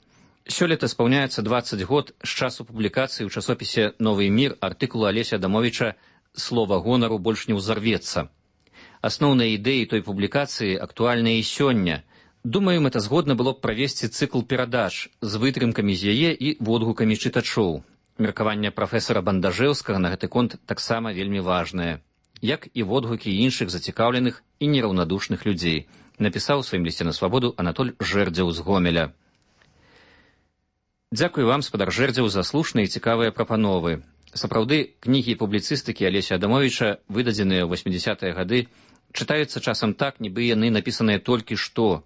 Сёлета спаўняецца дваццаць год з часу публікацыі ў часопісе «Новы мір» артыкулу Алеся Адамовіча «Слова гонару больш не ўзарвецца». Асноўныя ідэі той публікацыі актуальныя і сёння. Думаю, мэтазгодна было б правесці цыкл перадач з вытрымкамі з яе і водгукамі чытачоў. Меркаванне прафесара Бандажэўскага на гэты конт таксама вельмі важнае, як і водгукі іншых зацікаўленых і нераўнадушных людзей, напісаў у сваім лісце на свабоду Анатоль Жэрдзеў з Гомеля. Дзякую вам, спадар Жэрдзеў, за слушныя і цікавыя прапановы. Сапраўды, кнігі і публіцыстыкі Алеся Адамовіча, выдадзеныя ў восьмідзясятыя гады, чытаюцца часам так, нібы яны напісаныя толькі што.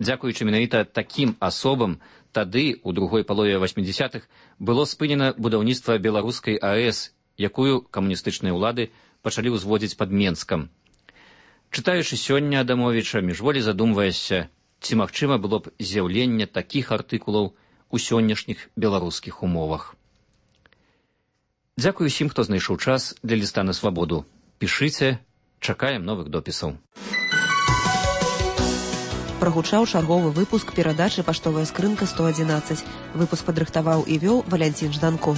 Дзякуючы менавіта такім асобам, тады, у другой палове восьмідзясятых, было спынена будаўніцтва беларускай АЭС, якую камуністычныя ўлады пачалі ўзводзіць пад Менскам. Чытаючы сёння Адамовіча, міжволі задумваешся, ці магчыма было б з'яўленне такіх артыкулаў у сённяшніх беларускіх умовах. Дзякую усім, хто знайшоў час для ліста на свабоду. Пішыце, чакаем новых допісаў. Прагучаў чарговы выпуск перадачы «Паштовая скрынка сто адзінаццаць». Выпуск падрыхтаваў і вёў Валянцін Жданко.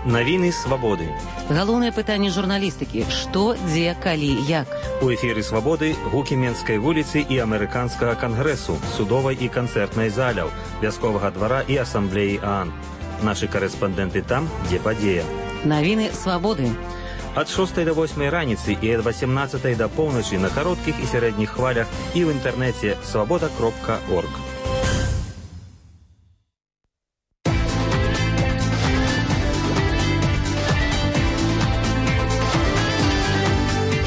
Навіны свабоды. Галоўнае пытанне журналістыкі: што, дзе, калі, як. У эфіры свабоды гукі Менскай вуліцы і амерыканскага кангрэсу, судовай і канцэртнай заляў, вясковага двара і асамблеі ААН. Нашы карэспандэнты там, дзе падзея. Навіны свабоды. Ад шостай да восьмай раніцы і ад васемнаццатай да поўначы на кароткіх і сярэдніх хвалях і ў інтэрнэце свабода кропка орг.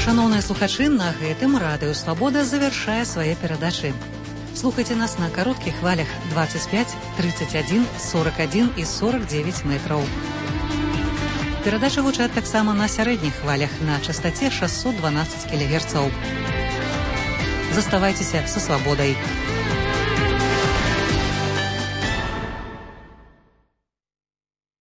Шановныя слухачы, на гэтым радыё «Свабода» завяршае свае перадачы. Слухайце нас на кароткіх хвалях двадцать пять, тридцать один, сорок один і сорок девять метраў. Перадачы гучаць таксама на сярэдніх хвалях на частаце шестьсот двенадцать кілогерцаў. Заставайцеся са свабодай.